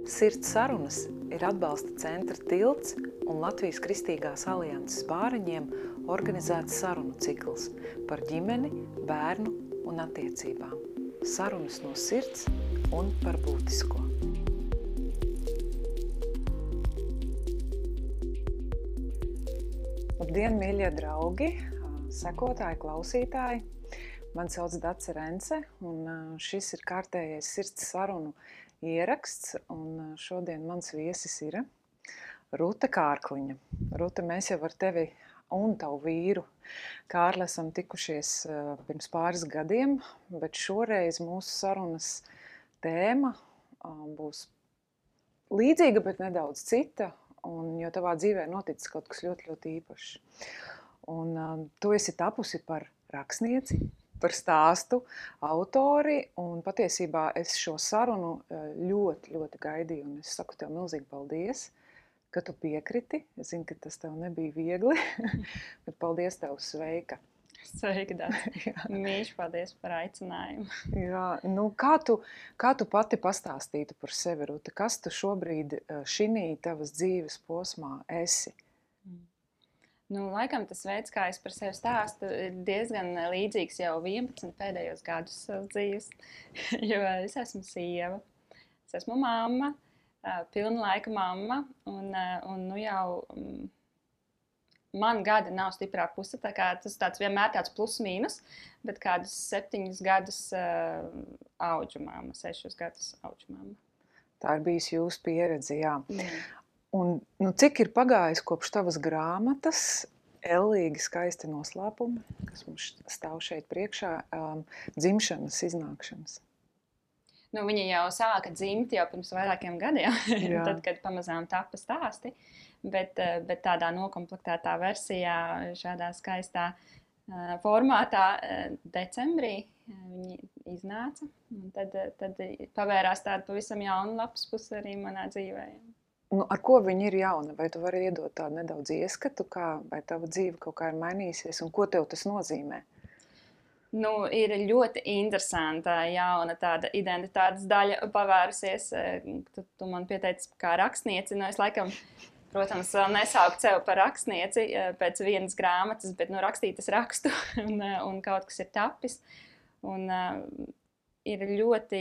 Sirds sarunas ir atbalsta centra Tilts un Latvijas Kristīgās alianses bāriņiem organizēts sarunu cikls par ģimeni, bērnu un attiecībām. Sarunas no sirds un par būtisko. Labdien, mīļie draugi, sekotāji, klausītāji! Mani sauc Dace Rence, un šis ir kārtējais sirds sarunu ieraksts, un šodien mans viesis ir Rūta Kārkliņa. Rūta, mēs jau ar tevi un tavu vīru Kārli esam tikušies pirms pāris gadiem, bet šoreiz mūsu sarunas tēma būs līdzīga, bet nedaudz cita, jo tavā dzīvē noticis kaut kas ļoti, ļoti īpašs. Un tu esi tapusi par rakstnieci, par stāstu autori, un patiesībā es šo sarunu ļoti, ļoti gaidīju, un es saku tev milzīgi paldies, ka tu piekriti. Es zinu, ka tas tev nebija viegli, bet paldies tev, sveika. Sveika, Dace. Mīļš, paldies par aicinājumu. Jā, nu kā tu pati pastāstītu par sevi, Rūta? Kas tu šobrīd šinī tavas dzīves posmā esi? Nu, laikam tas veids, kā es par sevi stāstu, ir diezgan līdzīgs jau 11 pēdējos gadus savas dzīves, jo es esmu sieva, es esmu mamma, pilna laika mamma, un nu jau man gadi nav stiprā puse, tā kā tas tāds vienmēr tāds plus mīnus, bet kādus 7 gadus auģu mamma, 6 gadus auģu mamma. Tā ir bijusi jūsu pieredze, jā. Un nu, cik ir pagājis kopš tavas grāmatas, ellīgi skaisti noslēpumi, kas mums stāv šeit priekšā, dzimšanas, iznākšanas? Nu, viņa jau sāka dzimt jau pirms vairākiem gadiem, tad, kad pamazām tapa stāsti, bet tādā nokomplektētā versijā, šādā skaistā formātā decembrī viņi iznāca. Un tad pavērās tāda pavisam jauna lapas puse arī manā dzīvē. Nu, ar ko viņi ir jauna? Vai tu vari iedot tādu nedaudz ieskatu, vai tava dzīve kaut kā ir mainīsies, un ko tev tas nozīmē? Nu, ir ļoti interesanta jauna tāda identitātes daļa pavērusies. Tu man pieteici kā rakstnieci, nu es laikam, protams, vēl nesauku sev par rakstnieci pēc vienas grāmatas, bet nu rakstīt es rakstu, un kaut kas ir tapis. Un ir ļoti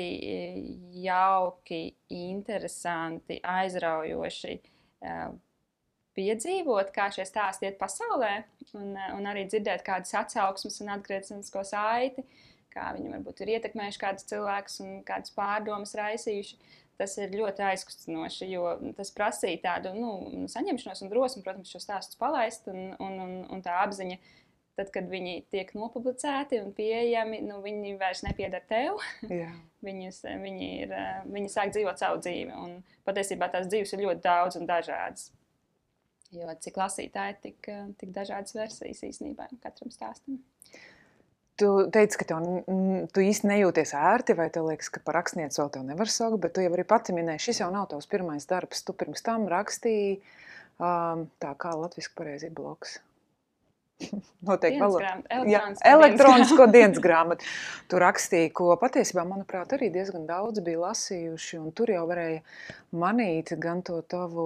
jauki, interesanti, aizraujoši piedzīvot, kā šie stāsti iet pasaulē, un arī dzirdēt kādas atsauksmes un atgriezenisko saiti, kā viņi varbūt ir ietekmējuši kādus cilvēkus un kādas pārdomas raisījuši. Tas ir ļoti aizkustinoši, jo tas prasīja tādu saņemšanos un drosmi, protams, šo stāstus palaist, un tā apziņa, tad, kad viņi tiek nopublicēti un pieejami, viņi vairs nepieder tev. Jā. Viņi sāk dzīvot savu dzīvi. Un patiesībā tās dzīves ir ļoti daudz un dažādas. Jo cik lasītāji, tik dažādas versijas īstenībā katram stāstam. Tu teici, ka tu īsti nejūties ērti, vai tev liekas, ka par rakstnieci vēl tev nevar saukt, bet tu jau arī pati minēji, šis jau nav tavs pirmais darbs. Tu pirms tam rakstīji, tā kā latviski pareizi ir blogs. Noteikti elektronisko dienas grāmatu. Tu rakstīji, ko patiesībā, manuprāt, arī diezgan daudz bija lasījuši, un tur jau varēja manīt gan to tavu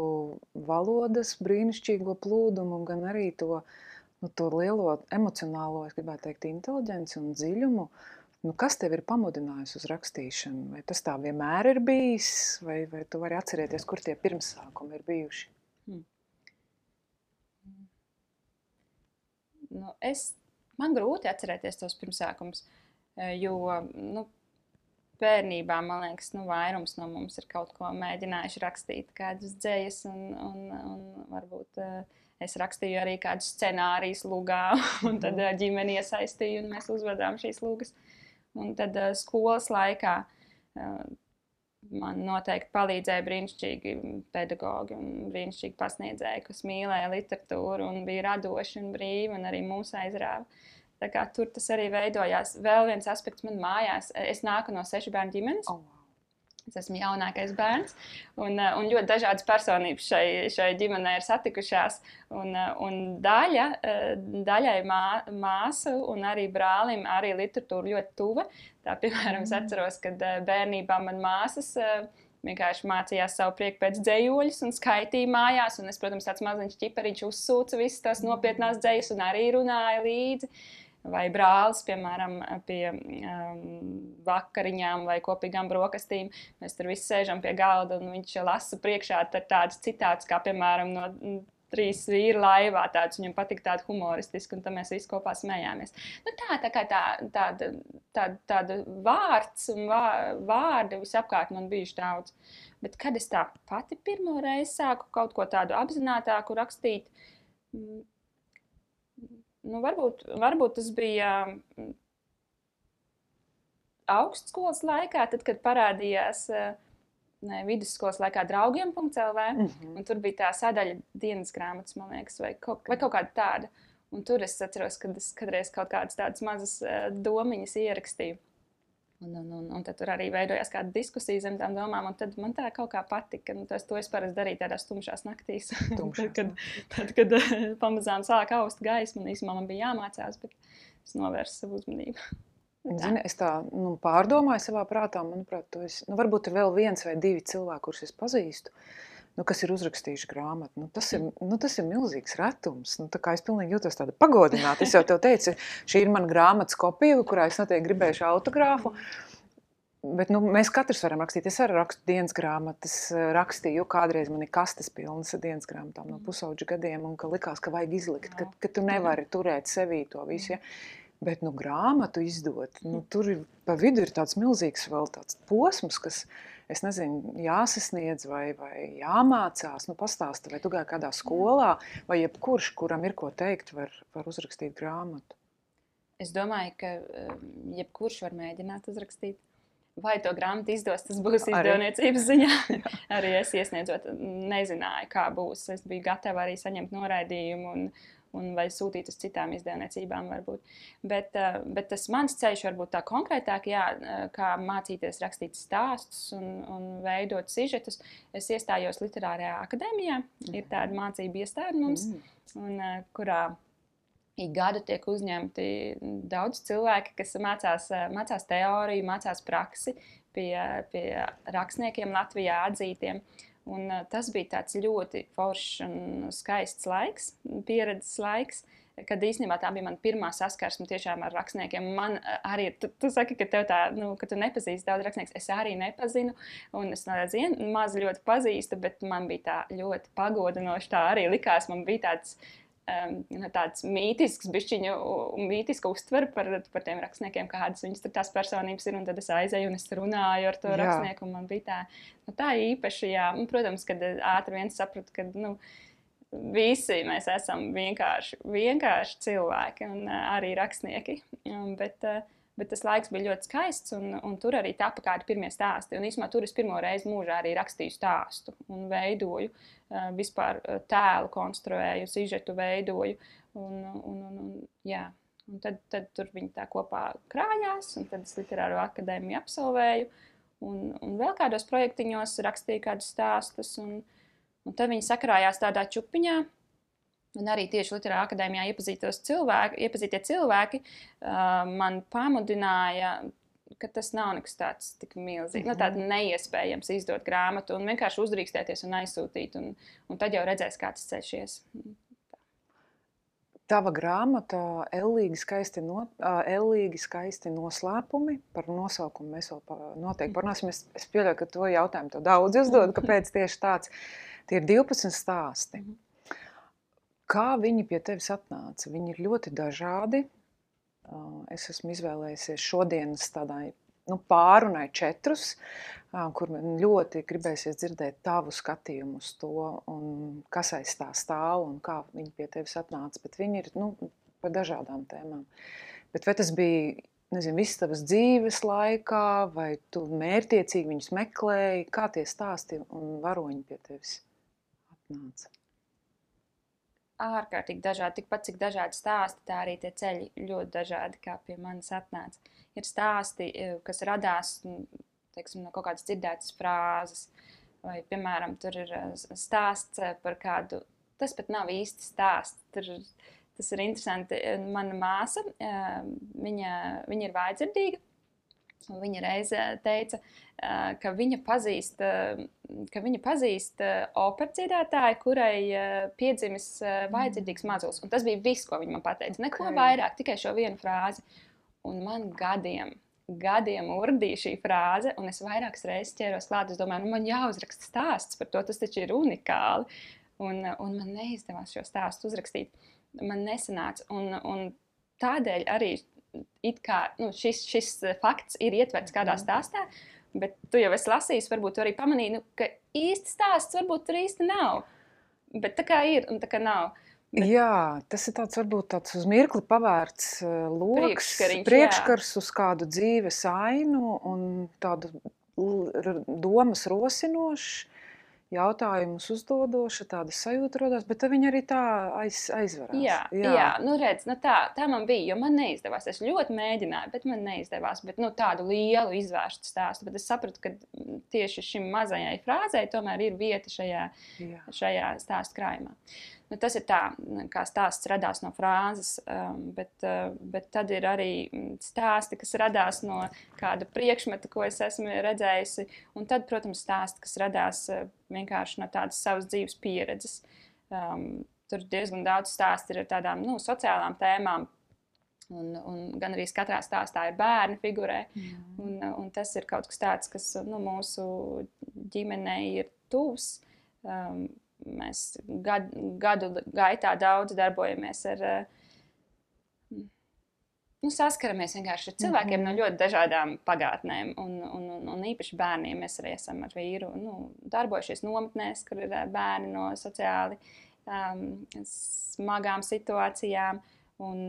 valodas brīnišķīgo plūdumu, gan arī to lielo emocionālo, es gribētu teikt, inteliģenci un dziļumu. Nu, kas tev ir pamudinājusi uz rakstīšanu? Vai tas tā vienmēr ir bijis, vai tu vari atcerēties, kur tie pirmsākumi ir bijuši? Man grūti atcerēties tos pirmsākumus, jo bērnībā, man liekas, vairums no mums ir kaut ko mēģinājuši rakstīt, kādas dzejas, un varbūt es rakstīju arī kādus scenārijus lugā, un tad ģimeni iesaistīju, un mēs uzvedām šīs lugas. Un tad skolas laikā man noteikti palīdzēja brīnišķīgi pedagogi un brīnišķīgi pasniedzēji, kas mīlēja literatūru un bija radoši un brīvi un arī mūs aizrāva. Tā kā tur tas arī veidojās. Vēl viens aspekts man mājās. Es nāku no 6 bērnu ģimenes. Es esmu jaunākais bērns, un ļoti dažādas personības šai ģimenei ir satikušās. Un daļai māsu un arī brālim arī literatūra ļoti tuva. Tā, piemēram, es atceros, kad bērnībā man māsas vienkārši mācījās savu prieku pēc dzējoļus un skaitīja mājās. Un es, protams, tāds maziņš ķipariņš uzsūca visas tās nopietnās dzējas un arī runāja līdzi. Vai brālis, piemēram, pie vakariņām vai kopīgām brokastīm. Mēs tur visi sēžam pie galda un viņš lasa priekšā tādas citātas, kā, piemēram, no 3 vīru laivā. Viņam patika tāda humoristiska, un tad mēs visi kopā smējāmies. Nu, tā kā tāda vārds un vārdi visapkārt man bijuši daudz. Bet kad es tā pati pirmo reizi sāku kaut ko tādu apzinātāku rakstīt, nu, varbūt tas bija augstskolas laikā, tad, kad parādījās vidusskolas laikā draugiem.lv, un tur bija tā sadaļa dienas grāmatas, man liekas, vai kaut kāda tāda. Un tur es atceros, kad es kādreiz kaut kādas tādas mazas domiņas ierakstīju. Un tad tur arī veidojās kāda diskusija zem tām domām, un tad man tā kaut kā patika. Un to es parasti darīju tādās tumšās naktīs. Tad, kad pamazām sāk aust gaismu, un īsumā man bija jāmācās, bet es novērsu savu uzmanību. Zini, es tā pārdomāju savā prātā, manuprāt, varbūt ir vēl 1 vai 2 cilvēki, kurus es pazīstu, kas ir uzrakstījuši grāmatu. Tas ir milzīgs retums. Tā kā es pilnīgi jūtos tāda pagodināta. Es jau tev teicu, šī ir mana grāmatas kopija, kurā es noteikti gribējuši autogrāfu. Bet mēs katrs varam rakstīt. Es arī rakstu dienas grāmatas, rakstīju, kādreiz man ir kastes pilnas ar dienas grāmatām no pusauģa gadiem, un ka likās, ka vajag izlikt, ka tu nevari turēt sevī to visu. Ja? Bet grāmatu izdot, tur pa vidu ir tāds milzīgs vēl tāds posms, kas, es nezinu, jāsasniedz vai jāmācās. Pastāsti, vai tu gāji kādā skolā, vai jebkurš, kuram ir ko teikt, var uzrakstīt grāmatu? Es domāju, ka jebkurš var mēģināt uzrakstīt. Vai to grāmatu izdos, tas būs izdevniecības ziņā. Arī es iesniedzot, nezināju, kā būs. Es biju gatava arī saņemt noraidījumu un vai sūtīt uz citām izdevniecībām varbūt. Bet tas mans ceļš varbūt tā konkrētāk, kā mācīties rakstīt stāstus un veidot sižetus. Es iestājos Literārajā akadēmijā. Ir tāda mācība iestāde mums, kurā ik gadu tiek uzņemti daudz cilvēki, kas mācās teoriju, mācās praksi pie rakstniekiem Latvijā atzītiem. Un tas bija tāds ļoti foršs un skaists laiks, pieredzes laiks, kad īstenībā tā bija mana pirmā saskarsme tiešām ar rakstniekiem. Man arī, tu saki, ka tev tā, ka tu nepazīsti daudz rakstniekus, es arī nepazinu, un es maz ļoti pazīstu, bet man bija tā ļoti pagodinoši, tā arī likās, man bija tāds mītisks, mītiska uztvere par tiem rakstniekiem, kādas viņas tur tās personības ir, un tad es aizēju un es runāju ar to rakstnieku, un man bija tā īpaši, un, protams, kad ātri vien sapratu, ka, visi mēs esam vienkārši cilvēki un arī rakstnieki, bet tas laiks bija ļoti skaists, un tur arī tapa kādi pirmie stāsti. Un īsumā tur es pirmo reizi mūžā arī rakstīju stāstu un veidoju, vispār tēlu konstruēju, sižetu veidoju. Un tad tur viņi tā kopā krājās, un tad es Literāro akadēmiju absolvēju, un vēl kādos projektiņos rakstīju kādus stāstus, un tad viņi sakrājās tādā čupiņā. Un arī tieši Literārā akadēmijā iepazītie cilvēki man pamudināja, ka tas nav nekas tāds tik milzīgs, tāds neiespējams izdot grāmatu un vienkārši uzdrīkstēties un aizsūtīt, un tad jau redzēs, kā tas ceļš ies. Tava grāmata Ellīgi skaisti noslēpumi, par nosaukumu mēs vēl noteikti parunāsim. Es pieļauju, ka to jautājumu tev daudz uzdod, kāpēc tieši tāds. Tie ir 12 stāsti. Kā viņi pie tevis atnāca? Viņi ir ļoti dažādi. Es esmu izvēlējusies šodienas tādai pārunai 4, kur man ļoti gribēsies dzirdēt tavu skatījumu uz to, un kas aiz tā stāv un kā viņi pie tevis atnāca. Bet viņi ir par dažādām tēmām. Bet vai tas bija, nezinu, viss tavas dzīves laikā, vai tu mērķiecīgi viņus meklēji? Kā tie stāsti un varoņi pie tevis atnāca? Ārkārtīgi dažādi, tikpat cik dažādi stāsti, tā arī tie ceļi ļoti dažādi, kā pie manis atnāca. Ir stāsti, kas radās, teiksim, no kaut kādas dzirdētas frāzes, vai, piemēram, tur ir stāsts par kādu, tas pat nav īsti stāsts, tas ir interesanti. Mana māsa, viņa ir vājdzirdīga, Un viņa reiz teica, ka viņa pazīst operas dziedātāju, kurai piedzimis vājdzirdīgs mazulis. Un tas bija viss, ko viņa man pateica. Neko vairāk, tikai šo vienu frāzi. Un man gadiem urdīja šī frāze, un es vairākas reizes ķēros klāt. Es domāju, man jāuzraksta stāsts par to, tas taču ir unikāli. Un man neizdevās šo stāstu uzrakstīt. Man nesanāca. Un tādēļ arī šis fakts ir ietverts kādā stāstā, bet tu jau esi lasījis, varbūt tu arī pamanīji, ka īsti stāsts varbūt tur īsti nav. Bet tā kā ir un tā kā nav. Bet... Jā, tas ir varbūt tāds uz mirkli pavērts loks, priekškars uz kādu dzīves ainu un tādu domas rosinošs, jautājumus uzdodoša, tāda sajūta rodās, bet viņi arī tā aizvarās. Jā. Nu redz, tā man bija, jo man neizdevās. Es ļoti mēģināju, bet man neizdevās. Bet tādu lielu izvērstu stāstu. Bet es sapratu, ka tieši šim mazajai frāzei tomēr ir vieta šajā stāstu krājumā. Tas ir tā, kā stāsts radās no frāzes, bet tad ir arī stāsti, kas radās no kāda priekšmeta, ko es esmu redzējusi. Un tad, protams, stāsti, kas radās vienkārši no tādas savas dzīves pieredzes. Tur diezgan daudz stāsti ir ar tādām sociālām tēmām. Un gan arī katrā stāstā ir bērni figurē. Un tas ir kaut kas tāds, kas mūsu ģimenei ir tuvs. Mēs gadu gaitā daudz darbojamies ar, saskaramies vienkārši ar cilvēkiem no ļoti dažādām pagātnēm. Un īpaši bērniem mēs arī esam ar vīru darbojušies nometnēs, kur ir bērni no sociāli smagām situācijām. Un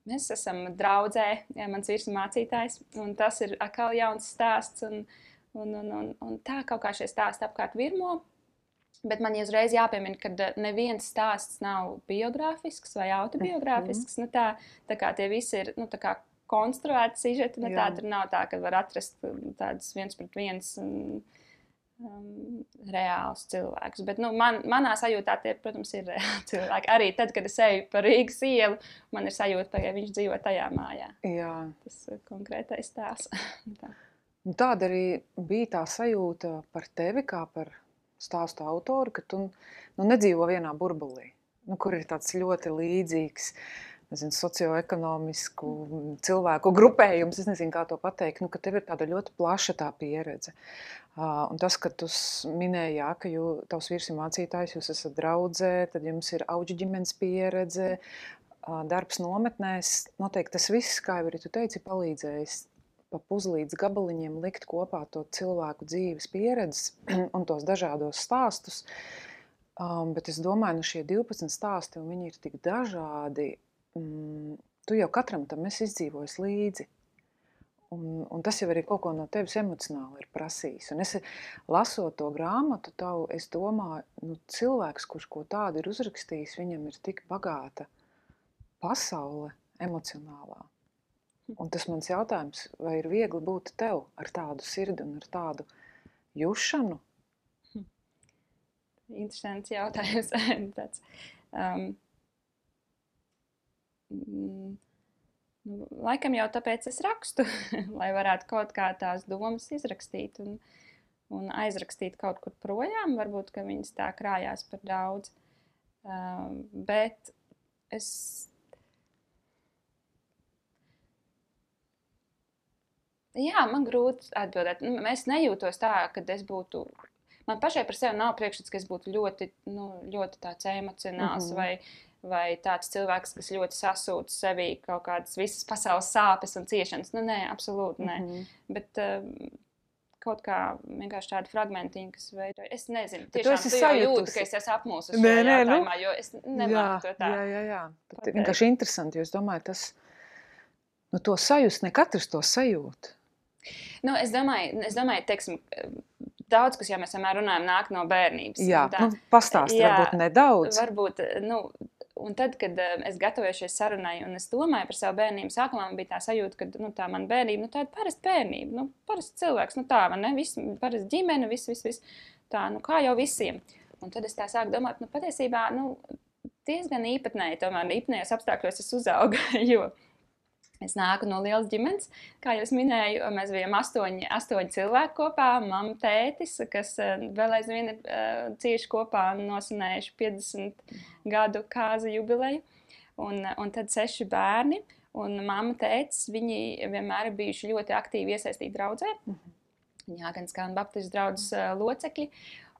mēs esam draudzē, mans vīrs ir mācītājs, un tas ir atkal jauns stāsts. Un tā kaut kā šie stāsti apkārt virmo. Bet man uzreiz jāpiemina, ka neviens stāsts nav biogrāfisks vai autobiogrāfisks. Tā kā tie visi ir konstruēti sižeti. Tā tur nav tā, ka var atrast tādus viens pret viens reālus cilvēkus. Bet manā sajūtā tie, protams, ir reāli cilvēki. Arī tad, kad es eju pa Rīgas ielu, man ir sajūta, ka viņš dzīvo tajā mājā. Jā. Tas konkrētais stāsts. Tāda arī bija tā sajūta par tevi, kā par stāstu autoru, ka tu nedzīvo vienā burbulī, kur ir tāds ļoti līdzīgs, socioekonomisku cilvēku grupējums, es nezinu, kā to pateikt, ka tev ir tāda ļoti plaša tā pieredze. Un tas, ka tu minēji, ka tavs vīrs ir mācītājs, jūs esat draudzē, tad jums ir auģu ģimenes pieredze, darbs nometnēs, noteikti tas viss, kā jau arī tu teici, palīdzējis pa puzlītes gabaliņiem likt kopā to cilvēku dzīves pieredzes un tos dažādos stāstus. Bet es domāju, šie 12 stāsti, un viņi ir tik dažādi, tu jau katram tam esi izdzīvojis līdzi. Un tas jau arī kaut ko no tevis emocionāli ir prasījis. Un es lasot to grāmatu tavu, es domāju, cilvēks, kurš ko tādu ir uzrakstījis, viņam ir tik bagāta pasaule emocionālā. Un tas mans jautājums, vai ir viegli būt tev ar tādu sirdi un ar tādu jušanu? Interesants jautājums. Tāds, laikam jau tāpēc es rakstu, lai varētu kaut kā tās domas izrakstīt un aizrakstīt kaut kur projām. Varbūt, ka viņas tā krājās par daudz. Bet es... Jā, man grūti atbildēt. Es nejūtos tā, ka es būtu... Man pašai par sevi nav priekšstats, ka es būtu ļoti tāds emocionāls vai tāds cilvēks, kas ļoti sasūta sevī kaut kādas visas pasaules sāpes un ciešanas. Nē, absolūti nē. Bet kaut kā vienkārši tādi fragmentiņi, kas veidoja. Es nezinu, tiešām tu jau jūti, ka es esmu apmūsus šajā jautājumā, jo es nemāku to tā. Jā. Tas ir vienkārši interesanti, jo es domāju, tas... to sajust, ne katrs to sajūt. Es domāju, teiksim, daudz, kas, ja mēs vienmēr runājam, nāk no bērnības. Jā, pastāsti varbūt nedaudz. Varbūt, un tad, kad es gatavojos šai sarunai un es domāju par savu bērnību, sākumā man bija tā sajūta, ka tā mana bērnība, tāda parasta bērnība, parasta cilvēks, tā, man ne, parasta ģimene, viss, tā, kā jau visiem. Un tad es tā sāku domāt, patiesībā, diezgan īpatnēji, tomēr īpatnējos apstākļos es uzaugu, jo Es nāku no lielas ģimenes, kā jau minēju, mēs bijām astoņi cilvēki kopā, mamma, tētis, kas vēl aizvien ir cieši kopā nosvinējuši 50 gadu kāzu jubileju, un tad 6 bērni, un mamma, tētis, viņi vienmēr ir bijuši ļoti aktīvi iesaistīti draudzē, Jāganskānu baptistu draudzes locekļi.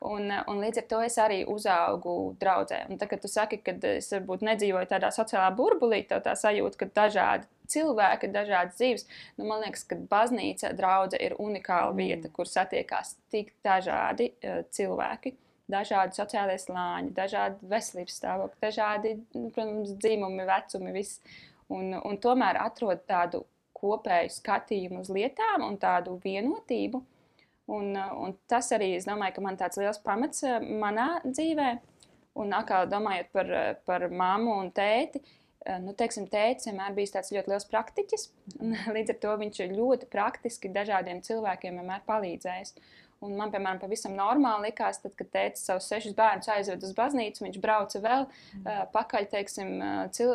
Un līdz ar to es arī uzaugu draudzē. Un tā, kad tu saki, ka es varbūt nedzīvoju tādā sociālā burbulī, tev tā sajūta, ka dažādi cilvēki, dažādas dzīves, man liekas, ka baznīca draudze ir unikāla vieta, kur satiekās tik dažādi cilvēki, dažādi sociālie slāņi, dažādi veselības stāvokļi, dažādi, protams, dzimumi, vecumi, viss. Un tomēr atrod tādu kopēju skatījumu uz lietām un tādu vienotību. Un tas arī, es domāju, ka man tāds liels pamats manā dzīvē. Un atkal domājot par mammu un tēti, teiksim, tētis vienmēr bijis tāds ļoti liels praktiķis. Līdz ar to viņš ļoti praktiski dažādiem cilvēkiem vienmēr palīdzējis. Un man, piemēram, pavisam normāli likās, tad, kad tētis savus 6 bērnus aizved uz baznīcu, viņš brauca vēl pakaļ, teiksim,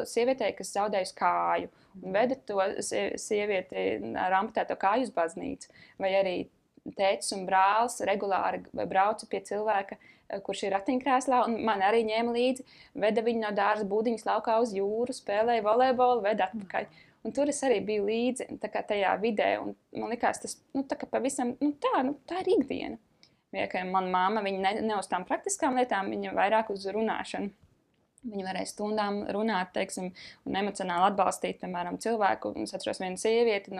sievietei, kas zaudējusi kāju. Un veda to sievieti ar amputēto kāju uz baznīcu. Vai arī tētis un brālis regulāri brauca pie cilvēka, kurš ir ratiņkrēslā, un man arī ņēma līdzi, veda viņu no dārza būdiņas laukā uz jūru, spēlēja volejbolu, veda atpakaļ. Un tur es arī biju līdzi tajā vidē, un man likās tas, tā kā pavisam, tā ir ikdiena. Vienkārši mana mamma, viņa ne uz tām praktiskām lietām, viņa vairāk uz runāšanu. Viņa varēja stundām runāt, teiksim, un emocionāli atbalstīt, piemēram, cilvēku. Un es atceros vienu sievieti,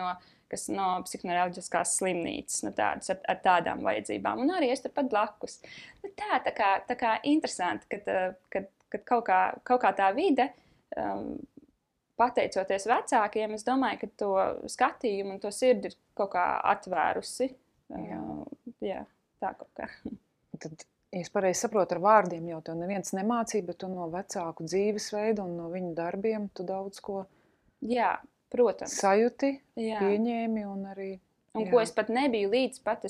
kas no psihoneiroloģiskās slimnīcas, tādas ar tādām vajadzībām. Un arī es turpat blakus. Tā kā interesanti, kad kaut kā tā vide, pateicoties vecākiem, es domāju, ka to skatījumu un to sirdi ir kaut kā atvērusi. Jā, tā kaut kā. Tad, ja es pareizi saprotu, ar vārdiem jau tev neviens nemācīja, bet tu no vecāku dzīvesveida un no viņu darbiem tu daudz ko protams. Sajūti, pieņēmi un arī... Un ko es pat nebiju līdz pat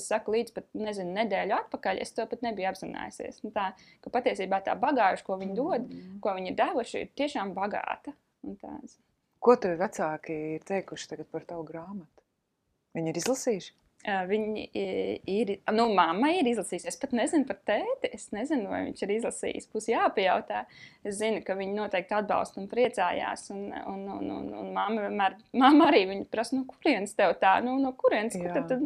nedēļu atpakaļ, es to pat nebiju apzinājusies. Tā, ka patiesībā tā bagāža, ko viņi dod, ko viņi ir devuši, ir tiešām bagāta. Ko tev vecāki ir teikuši tagad par tavu grāmatu? Viņi ir izlasījuši? Viņi ir, mamma ir izlasījusi. Es pat nezinu par tēti. Es nezinu, vai viņš ir izlasījis. Būs jāpajautā. Es zinu, ka viņi noteikti atbalsta un priecājās. Un mamma arī viņa prasa, no kurienes tev tā? No kurienes? Kur tad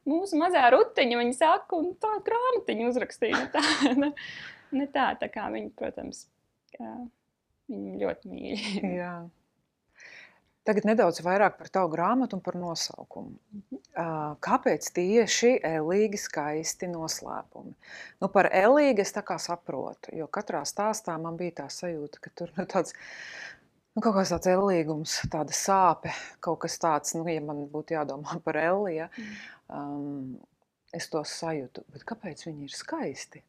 mūsu mazā rutiņa, viņa saka, un tā grāmatiņa uzrakstīja. Tā kā viņi, protams, viņi ļoti mīļi. Jā. Tagad nedaudz vairāk par tavu grāmatu un par nosaukumu. Kāpēc tieši Ellīgi skaisti noslēpumi? Par Ellīgi es tā kā saprotu, jo katrā stāstā man bija tā sajūta, ka tur tāds, kaut kāds tāds ellīgums, tāda sāpe, kaut kas tāds, ja man būtu jādomā par Elli, es to sajūtu. Bet kāpēc viņi ir skaisti?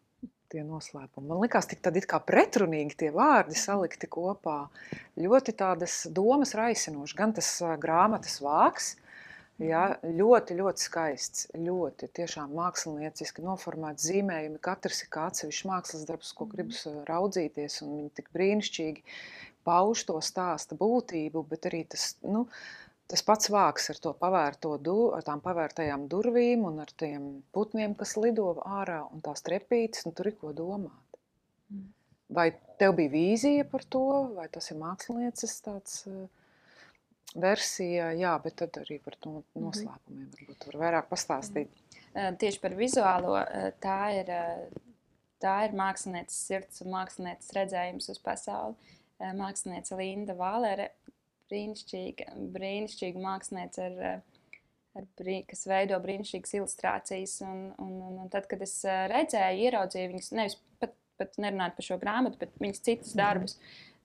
Tie noslēpumi. Man likās tik tad it kā pretrunīgi tie vārdi salikti kopā. Ļoti tādas domas raisinoši. Gan tas grāmatas vāks, ļoti, ļoti skaists. Ļoti tiešām mākslinieciski noformēts zīmējumi. Katrs ir kā atsevišķs mākslas darbs, ko gribas raudzīties. Un viņi tik brīnišķīgi pauž to stāsta būtību, bet arī tas pats vāks ar to ar tām pavērtajām durvīm un ar tiem putniem, kas lido ārā un tās trepītes, tur ir ko domāt. Vai tev bija vīzija par to, vai tas ir mākslinieces tāds versija, bet tad arī par to noslēpumiem varbūt var vairāk pastāstīt. Tieši par vizuālo, tā ir mākslinieces sirds un mākslinieces redzējums uz pasauli. Māksliniece Linda Vālere, brīnišķīga māksliniece, kas veido brīnišķīgas ilustrācijas. Un tad, kad es redzēju, ieraudzīju viņas, nevis pat nerunāt par šo grāmatu, bet viņas citus darbus,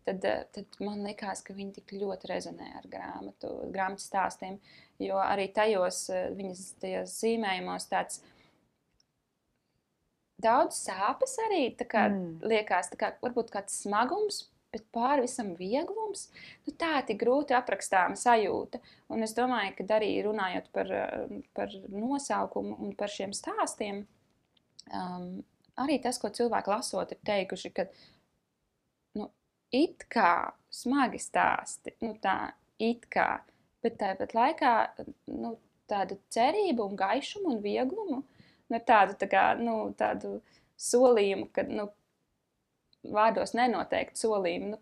tad man likās, ka viņi tik ļoti rezonē ar grāmatas stāstiem. Jo arī tajos viņas zīmējumos tāds daudz sāpes arī, liekas, varbūt kāds smagums, bet pāri visam vieglums, tā tik grūti aprakstāma sajūta. Un es domāju, ka arī runājot par nosaukumu un par šiem stāstiem, arī tas, ko cilvēki lasot, ir teikuši, ka it kā smagi stāsti, it kā, Bet tāpat laikā tādu cerību un gaišumu un vieglumu, tādu, tādu solījumu, ka vārdos nenoteikti solījumu,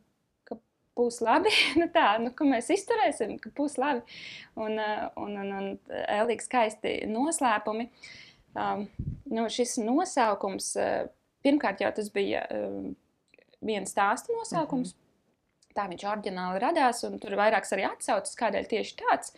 ka būs labi, ka mēs izturēsim, ka būs labi. Un ēlīgi skaisti noslēpumi. Šis nosaukums, pirmkārt jau tas bija viena stāsta nosaukums. Tā viņš oriģināli radās, un tur vairākas arī atsaucas, kādēļ tieši tāds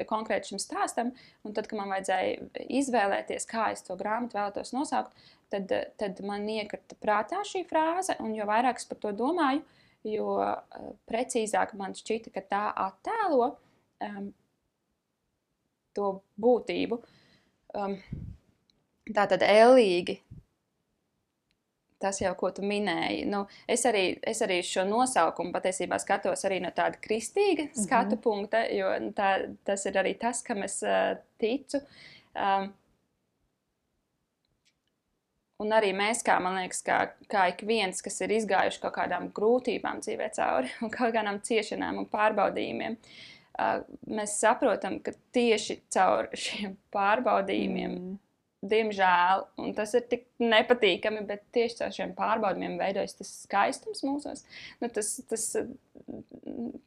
konkrēti šim stāstam. Un tad, kad man vajadzēja izvēlēties, kā es to grāmatu vēlētos nosaukt, tad man iekrita prātā šī frāze, un jo vairāk es par to domāju, jo precīzāk man šķita, ka tā attēlo to būtību. Tātad ēlīgi. Tas jau, ko tu minēji. Es arī šo nosaukumu patiesībā skatos arī no tāda kristīga skatu punkta, jo tas ir arī tas, kam es ticu. Un arī mēs, man liekas, kā ik viens, kas ir izgājuši kaut kādām grūtībām dzīvē cauri un kaut kādām ciešanām un pārbaudījumiem, mēs saprotam, ka tieši caur šiem pārbaudījumiem diemžēl, un tas ir tik nepatīkami, bet tieši caur šiem pārbaudījumiem veidojas tas skaistums mūsos.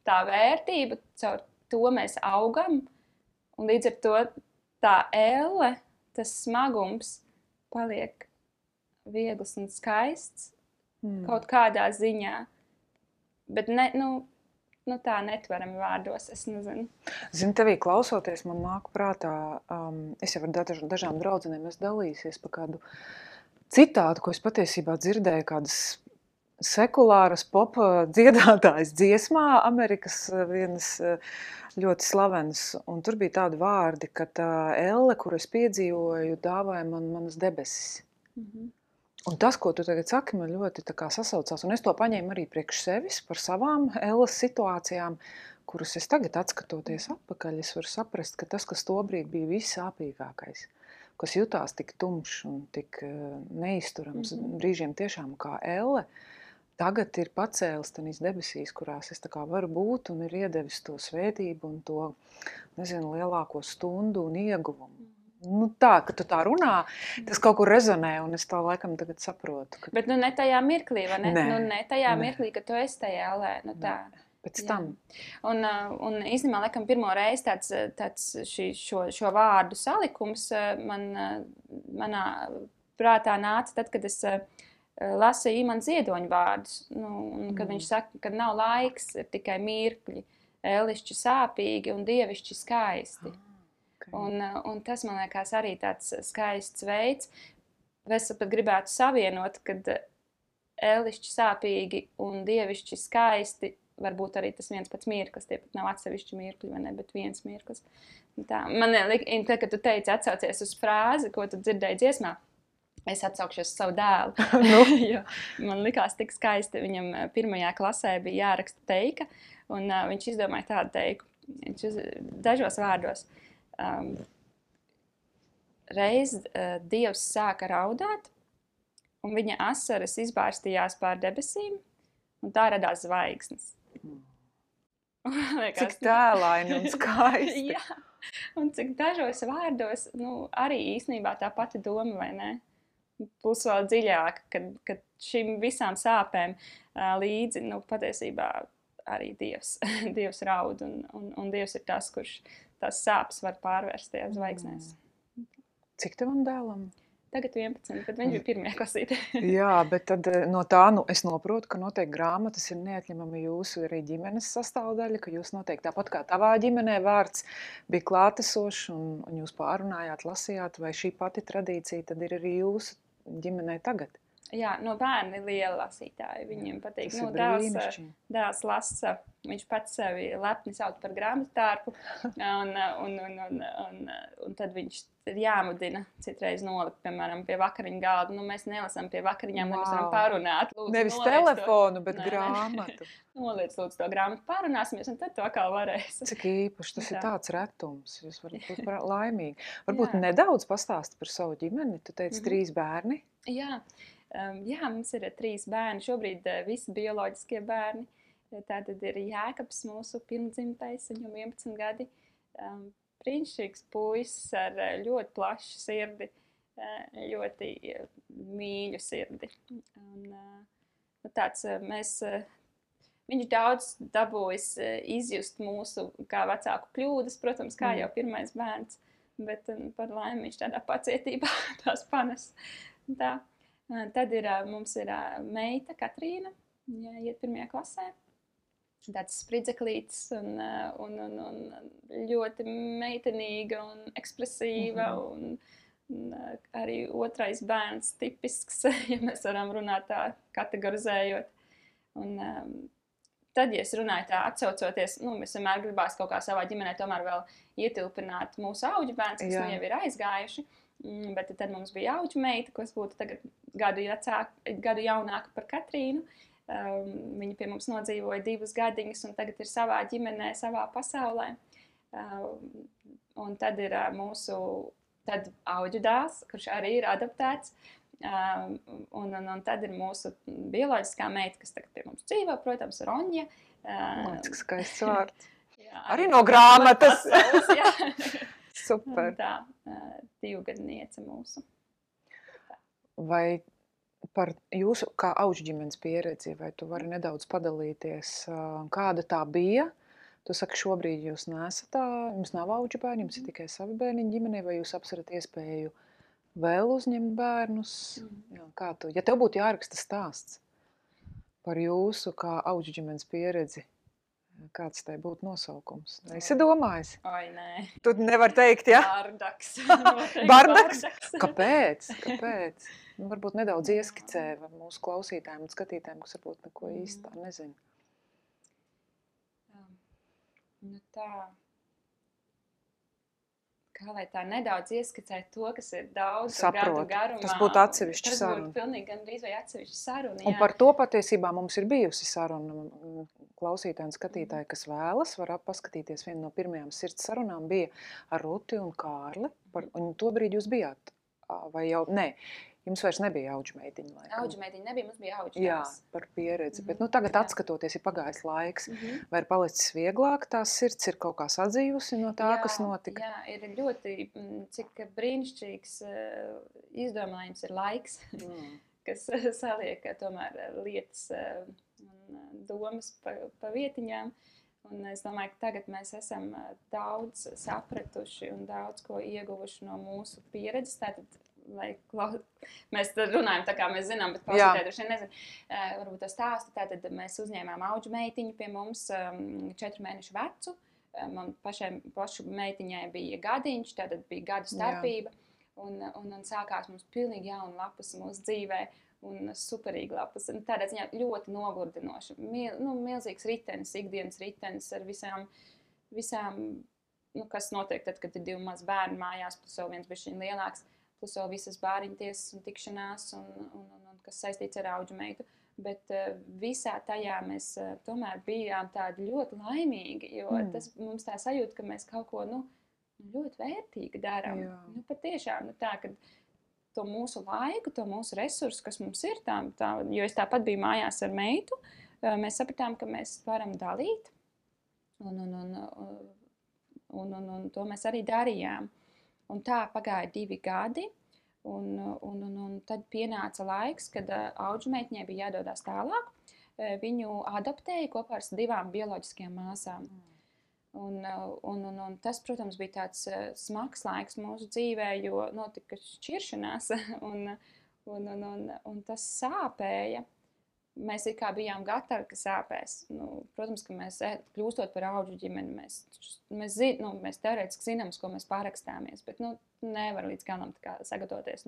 Tā vērtība, caur to mēs augam, un līdz ar to tā elle, tas smagums paliek viegls un skaists kaut kādā ziņā. Bet tā netverami vārdos, es nezinu. Zini, tevī klausoties, man nāk prātā, es jau ar dažām draudzenēm esmu dalījusies par kādu citātu, ko es patiesībā dzirdēju kādas sekulāras popa dziedātājas dziesmā, Amerikas vienas ļoti slavenas, un tur bija tādi vārdi, ka tā elle, kuru es piedzīvoju, dāvāja man manas debesis. Un tas, ko tu tagad saki, man ļoti tā kā sasaucās, un es to paņēmu arī priekš sevis par savām elles situācijām, kuras es tagad atskatoties atpakaļ, es varu saprast, ka tas, kas tobrīd bija vissāpīgākais, kas jutās tik tumšs un tik neizturams, brīžiem tiešām kā elle, tagad ir pacēlis tanīs debesīs, kurās es tā kā varu būt un ir iedevis to svētību un to, lielāko stundu un ieguvumu. Tā, ka tu tā runā, tas kaut kur rezonē, un es tā laikam tagad saprotu. Ka... Bet ne tajā mirklī, vai ne? Ne tajā mirklī, ka tu esi tajā ellē, tā. Pēc tam. Un īstenībā, laikam, pirmo reizi tāds šo vārdu salikums manā prātā nāca tad, kad es lasīju Imants Ziedoņa vārdus, kad viņš saka, ka nav laiks, ir tikai mirkļi, ellišķi sāpīgi un dievišķi skaisti. Un tas, man liekas, arī tāds skaists veids. Es pat gribētu savienot, kad ellišķi sāpīgi un dievišķi skaisti var būt arī tas viens pats mirklis. Tie pat nav atsevišķi mirkļi, vai ne, bet viens mirklis. Tā. Man liekas, kad tu teici atsaucies uz frāzi, ko tu dzirdēji dziesmā, es atsaukšos savu dēlu. Jo man likās tik skaisti. Viņam 1. klasē bija jāraksta teika, un viņš izdomāja tādu teiku. Viņš dažos vārdos. Reiz Dievs sāka raudāt, un viņa asaras izbārstījās pār debesīm, un tā radās zvaigznes. Cik tēlaini un skaisti. Jā, un cik dažos vārdos, arī īstenībā tā pati doma, vai ne? Plus vēl dziļāk, kad šim visām sāpēm līdzi, patiesībā arī Dievs raud, un Dievs ir tas, kurš tās sāpes var pārvērst tajās zvaigznēs. Cik tavam dēlam? Tagad 11, bet viņš bija 1. klasīte. Jā, bet tad no tā es noprotu, ka noteikti grāmatas ir neatņemama jūsu arī ģimenes sastāvdaļa, ka jūs noteikti tāpat kā tavā ģimenē vārds bija klātesošs un jūs pārunājāt, lasījāt, vai šī pati tradīcija tad ir arī jūsu ģimenē tagad? Jā, bērni lieli lasītāji, viņiem patīk. Dēls lasa, viņš pats sevi lepni sauc par grāmatārpu, un tad viņš ir jāmudina citreiz nolikt, piemēram, pie vakariņu galda. Mēs nelasām pie vakariņām, lai mēs varam pārunāt. Lūdzu, nevis telefonu, bet grāmatu. Noliec, lūdzu, to grāmatu pārunāsimies, un tad to atkal varēs. Cik īpaši, tas ir tāds retums, jūs varat būt laimīgi. Varbūt nedaudz pastāst par savu ģimeni, tu teici 3 bērni? Jā, mums ir 3 bērni, šobrīd visi bioloģiskie bērni. Tātad ir Jēkabs, mūsu pirmdzimtais, viņam 11 gadi. Brīnišķīgs puisis ar ļoti plašu sirdi, ļoti mīļu sirdi. Viņš daudz dabūjis izjust mūsu kā vecāku kļūdas, protams, kā jau pirmais bērns, bet par laimi viņš tādā pacietībā tās panes. Tā. Tad mums ir meita Katrīna, iet 1. klasē. Tāds spridzeklītis un ļoti meitenīga un ekspresīva un arī otrais bērns tipisks, ja mēs varam runāt tā kategorizējot. Un tad, ja es runāju tā atsaucoties, mēs vienmēr gribās kaut kā savā ģimenē tomēr vēl ietilpināt mūsu auģu bērns, kas jau ir aizgājuši, bet tad mums bija auģu meita, kas būtu tagad gadu jaunāka par Katrīnu. Viņa pie mums nodzīvoja 2 gadiņus un tagad ir savā ģimenē, savā pasaulē. Un tad ir mūsu auģu dēls, kurš arī ir adaptēts. Un tad ir mūsu bioloģiskā meita, kas tagad pie mums dzīvo, protams, Roņa. Cik skaists vārds. Arī no grāmatas. Super. Tā, 2 gadniece mūsu. Vai par jūsu kā auģu ģimenes pieredzi, vai tu vari nedaudz padalīties, kāda tā bija? Tu saki, šobrīd jūs nesat jums nav auģu bērni, jums ir tikai savi bērniņi ģimenē, vai jūs apsverat iespēju vēl uzņemt bērnus? Jā, ja tev būtu jāraksta stāsts par jūsu kā auģu ģimenes pieredzi, kāds tai būtu nosaukums? Esi domājis? Oi, nē. Tu nevar teikt, ja? Bardaks. Bardaks? Kāpēc? Varbūt nedaudz ieskicē mūsu klausītājiem un skatītājiem, kas varbūt neko īsti tā nezina. Tā. Kā lai tā nedaudz ieskicē to, kas ir daudz gadu garumā. Tas būtu atsevišķa saruna. Tas būtu pilnīgi gandrīz vai atsevišķa saruna. Un par to patiesībā mums ir bijusi saruna. Klausītāji un skatītāji, kas vēlas, var paskatīties. Viena no pirmajām sirds sarunām bija ar Ruti un Kārli. Un to brīdi jūs bijāt? Vai jau? Nē. Jums vairs nebija auģu meitiņa. Auģu meitiņa nebija, mums bija auģu Jā, par pieredzi. Bet tagad atskatoties, ir pagājis laiks. Vai ir palicis vieglāk? Tās sirds ir kaut kā sadzīvusi no tā, kas notika? Jā, ir ļoti, cik brīnišķīgs izdomājums ir laiks, kas saliek tomēr lietas un domas pa vietiņām. Un es domāju, ka tagad mēs esam daudz sapratuši un daudz ko ieguvuši no mūsu pieredzes. Tātad, mēs runājam tā kā mēs zinām, bet klausītāji droši vien nezinu. Varbūt to stāstu. Tātad mēs uzņēmām auģu meitiņu pie mums 4 mēnešu vecu. Man pašu meitiņai bija gadiņš, tātad bija gadu starpība. Un sākās mums pilnīgi jauna lapas mūsu dzīvē. Un superīgi lapas. Un tādā ziņā ļoti nogurdinoši. Milzīgs ritenis, ikdienas ritenis ar visām kas notiek tad, kad ir 2 mazi bērni mājās, plus vēl viens bišķiņ lielāks. Plus vēl visas bāriņtiesas un tikšanās, un kas saistīts ar auģu meitu. Bet visā tajā mēs tomēr bijām tādi ļoti laimīgi, jo tas mums tā sajūta, ka mēs kaut ko ļoti vērtīgi darām. Patiešām tā, ka to mūsu laiku, to mūsu resursu, kas mums ir, jo es tāpat biju mājās ar meitu, mēs sapratām, ka mēs varam dalīt, un to mēs arī darījām. Un tā pagāja 2 gadi, un tad pienāca laiks, kad auģu meitiņai bija jādodās tālāk. Viņu adoptēja kopā ar 2 bioloģiskajām māsām. Un tas, protams, bija tāds smags laiks mūsu dzīvē, jo notika šķiršanās, un tas sāpēja. Mēs it kā bijām gatavi, ka sāpēs. Protams, ka mēs kļūstot par auģu ģimeni, mēs teorētiski zinām, uz ko mēs pārakstāmies, bet nevar līdz galam sagatavoties.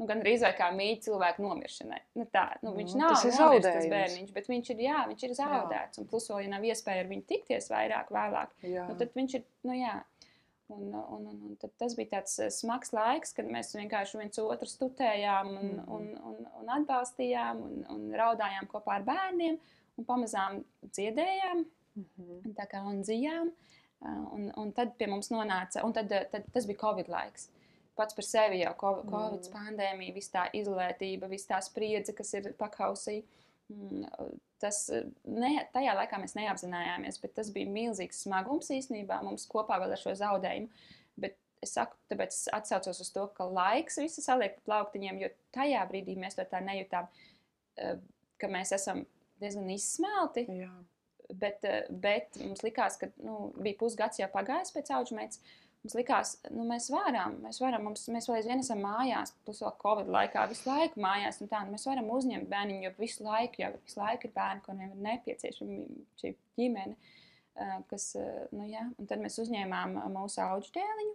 Gan rīz vai kā mīļi cilvēku nomiršanai. Viņš nav nomirst tas bērniņš, bet viņš ir zaudēts. Un plus vēl, ja nav iespēja ar viņu tikties vairāk, vēlāk, tad viņš ir, Un tad tas bija tāds smags laiks, kad mēs vienkārši viens otru stutējām un atbalstījām un raudājām kopā ar bērniem un pamazām dziedējām tā kā un dzījām. Un tad pie mums nonāca, un tad tas bija Covid laiks. Pats par sevi jau Covid pandēmija, viss tā izolētība, viss tā spriedze, kas ir pakausī. tajā laikā mēs neapzinājāmies, bet tas bija milzīgs smagums īstenībā mums kopā vēl ar šo zaudējumu. Bet es saku, tāpēc es atsaucos uz to, ka laiks visu saliek pa plauktiņiem, jo tajā brīdī mēs to tā nejūtām, ka mēs esam diezgan izsmelti. Jā. Bet mums likās, ka bija pusgads jau pagājis pēc audžmeitas. Mums likās, mēs varam, mēs vēl aizvien esam mājās, plus vēl Covid laikā, visu laiku mājās un tā, mēs varam uzņemt bērniņu, jo visu laiku ir bērni, kuriem ir nepieciešama šī ģimene, kas, un tad mēs uzņēmām mūsu audždēliņu.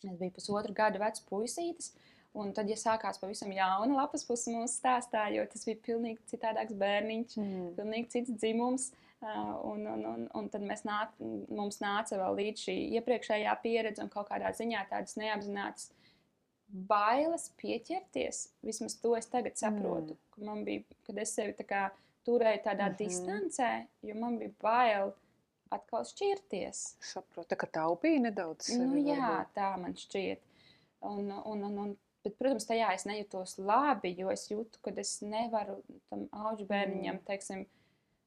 Es biju 1,5 gada vecs puisītis, un tad, ja sākās pavisam jauna lapas puse mūsu stāstā, jo tas bija pilnīgi citādāks bērniņš, pilnīgi cits dzimums. Un tad mums nāca vēl līdz šī iepriekšējā pieredze un kaut kādā ziņā tādas neapzinātas bailes pieķerties. Vismaz to es tagad saprotu, ka man bija, kad es sevi tā kā turēju tādā distancē, jo man bija bail atkal šķirties. Saprotu, tā kā taupīja nedaudz sevi. Jā, tā man šķiet. Bet, protams, tajā es nejūtos labi, jo es jūtu, ka es nevaru tam audžu bērniņam, teiksim,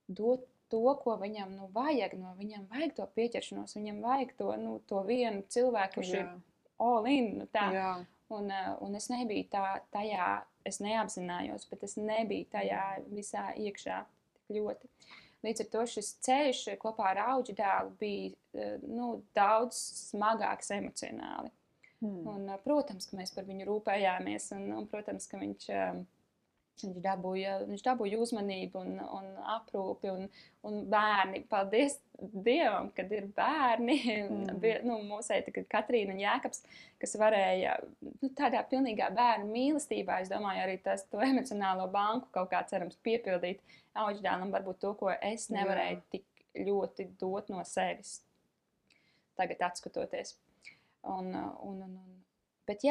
dot to, ko viņam vajag, viņam vajag to pieķeršanos, viņam vajag to vienu cilvēku, kurš ir all in, tā. Un es nebiju tajā, es neapzinājos, bet es nebiju tajā visā iekšā tik ļoti. Līdz ar to šis ceļš kopā ar audžu dēlu bija daudz smagāks emocionāli. Un, protams, ka mēs par viņu rūpējāmies, un protams, ka viņš dabūja uzmanību un aprūpi, un bērni, paldies Dievam, kad ir bērni, mūsēji tagad Katrīna un Jēkabs, kas varēja tādā pilnīgā bērnu mīlestībā, es domāju, arī to emocionālo banku kaut kā cerams piepildīt audždēlam, varbūt to, ko es nevarēju tik ļoti dot no sevis, tagad atskatoties. Bet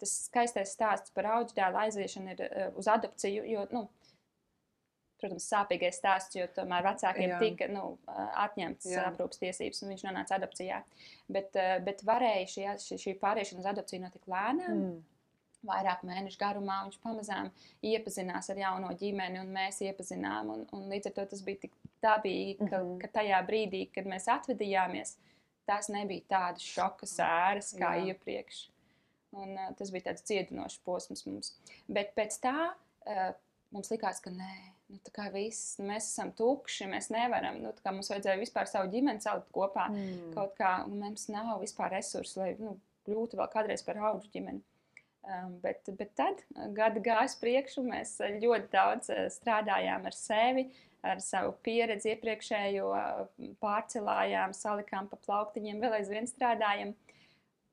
tas skaistais stāsts par audždēla aiziešanu ir uz adopciju, jo, protams, sāpīgais stāsts, jo tomēr vecākiem tika atņemts aprūpes tiesības, un viņš nonāca adopcijā. Bet varēja šī pāriešana uz adopciju notika lēnām, vairāk mēnešu garumā, viņš pamazām iepazinās ar jauno ģimeni, un mēs iepazinām, un līdz ar to tas bija tik dabīgi, ka tajā brīdī, kad mēs atvedījāmies, tās nebija tādas šoka sēras kā iepriekš. Un tas bija tāds cietinošs posms mums. Bet pēc tā mums likās, ka nē, tā kā viss, mēs esam tukši, mēs nevaram, tā kā mums vajadzēja vispār savu ģimeni salikt kopā kaut kā, un mums nav vispār resursi, lai kļūtu vēl kādreiz par audžu ģimeni. Bet tad gadi gājas priekšu, mēs ļoti daudz strādājām ar sevi, ar savu pieredzi iepriekšējo, pārcelājām, salikām pa plauktiņiem, vēl aizvien strādājam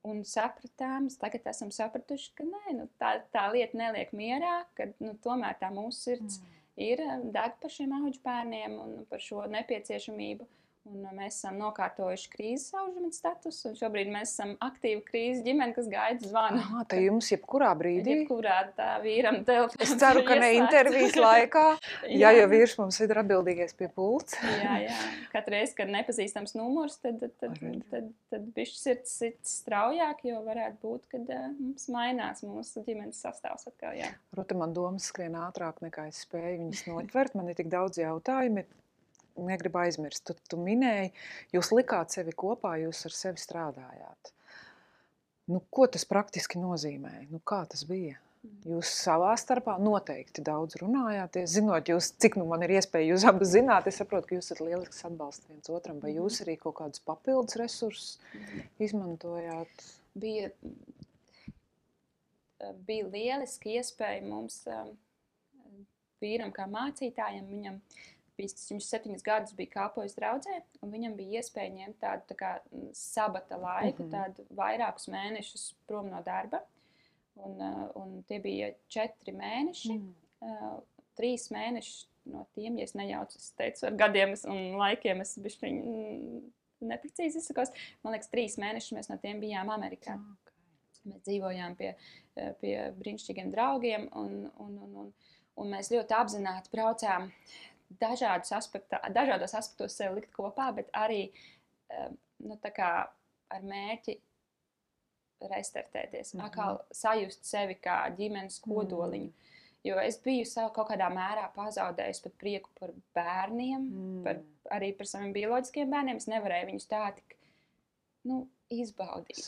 un sapratām, tagad esam sapratuši, ka nē, tā lieta neliek mierā, ka tomēr tā mūsu sirds ir deg par šiem audžu bērniem un par šo nepieciešamību. Un mēs esam nokārtojuši krīzes audžumeņa statusu, un šobrīd mēs esam aktīva krīzes ģimene, kas gaida zvanu. Tā jums jebkurā brīdī? Jebkurā tā vīram telefons. Es ceru, ka ne intervijas laikā, jo vīrs mums ir atbildīgais pie pults. Jā. Katru reizi, kad nepazīstams numurs, tad bišķi sirds straujāk, jo varētu būt, kad mums mainās mūsu ģimenes sastāvs atkal. Rota, man domas skrien ātrāk nekā es spēju viņas notvert. Man ir tik daudz jautājumi. Negribu aizmirst. Tu minēji, jūs likāt sevi kopā, jūs ar sevi strādājāt. Ko tas praktiski nozīmē? Kā tas bija? Jūs savā starpā noteikti daudz runājāties. Zinot jūs, cik man ir iespēja jūs abas zināt, es saprotu, ka jūs esat lielisks atbalsts viens otram. Vai jūs arī kaut kādus papildus resursus izmantojāt? Bija lieliski iespēja mums vīram kā mācītājam, viņš 7 gadus bija kalpojis draudzē, un viņam bija iespēja ņemt tādu tā kā sabata laiku, tādu vairākus mēnešus prom no darba. Un tie bija 4 mēneši, 3 mēneši no tiem, ja es nejaucu, es teicu, ar gadiem un laikiem es bišķiņ neprecīzi izsakos. Man liekas, 3 mēnešus mēs no tiem bijām Amerikā. Mēs dzīvojām pie brīnišķīgiem draugiem, un mēs ļoti apzināti braucām dažādos aspektos sevi likt kopā, bet arī tā kā ar mērķi restartēties, atkal sajust sevi kā ģimenes kodoliņu. Jo es biju kaut kādā mērā pazaudējusi pat prieku par bērniem, arī par saviem bioloģiskiem bērniem. Es nevarēju viņus tā tik izbaudīt.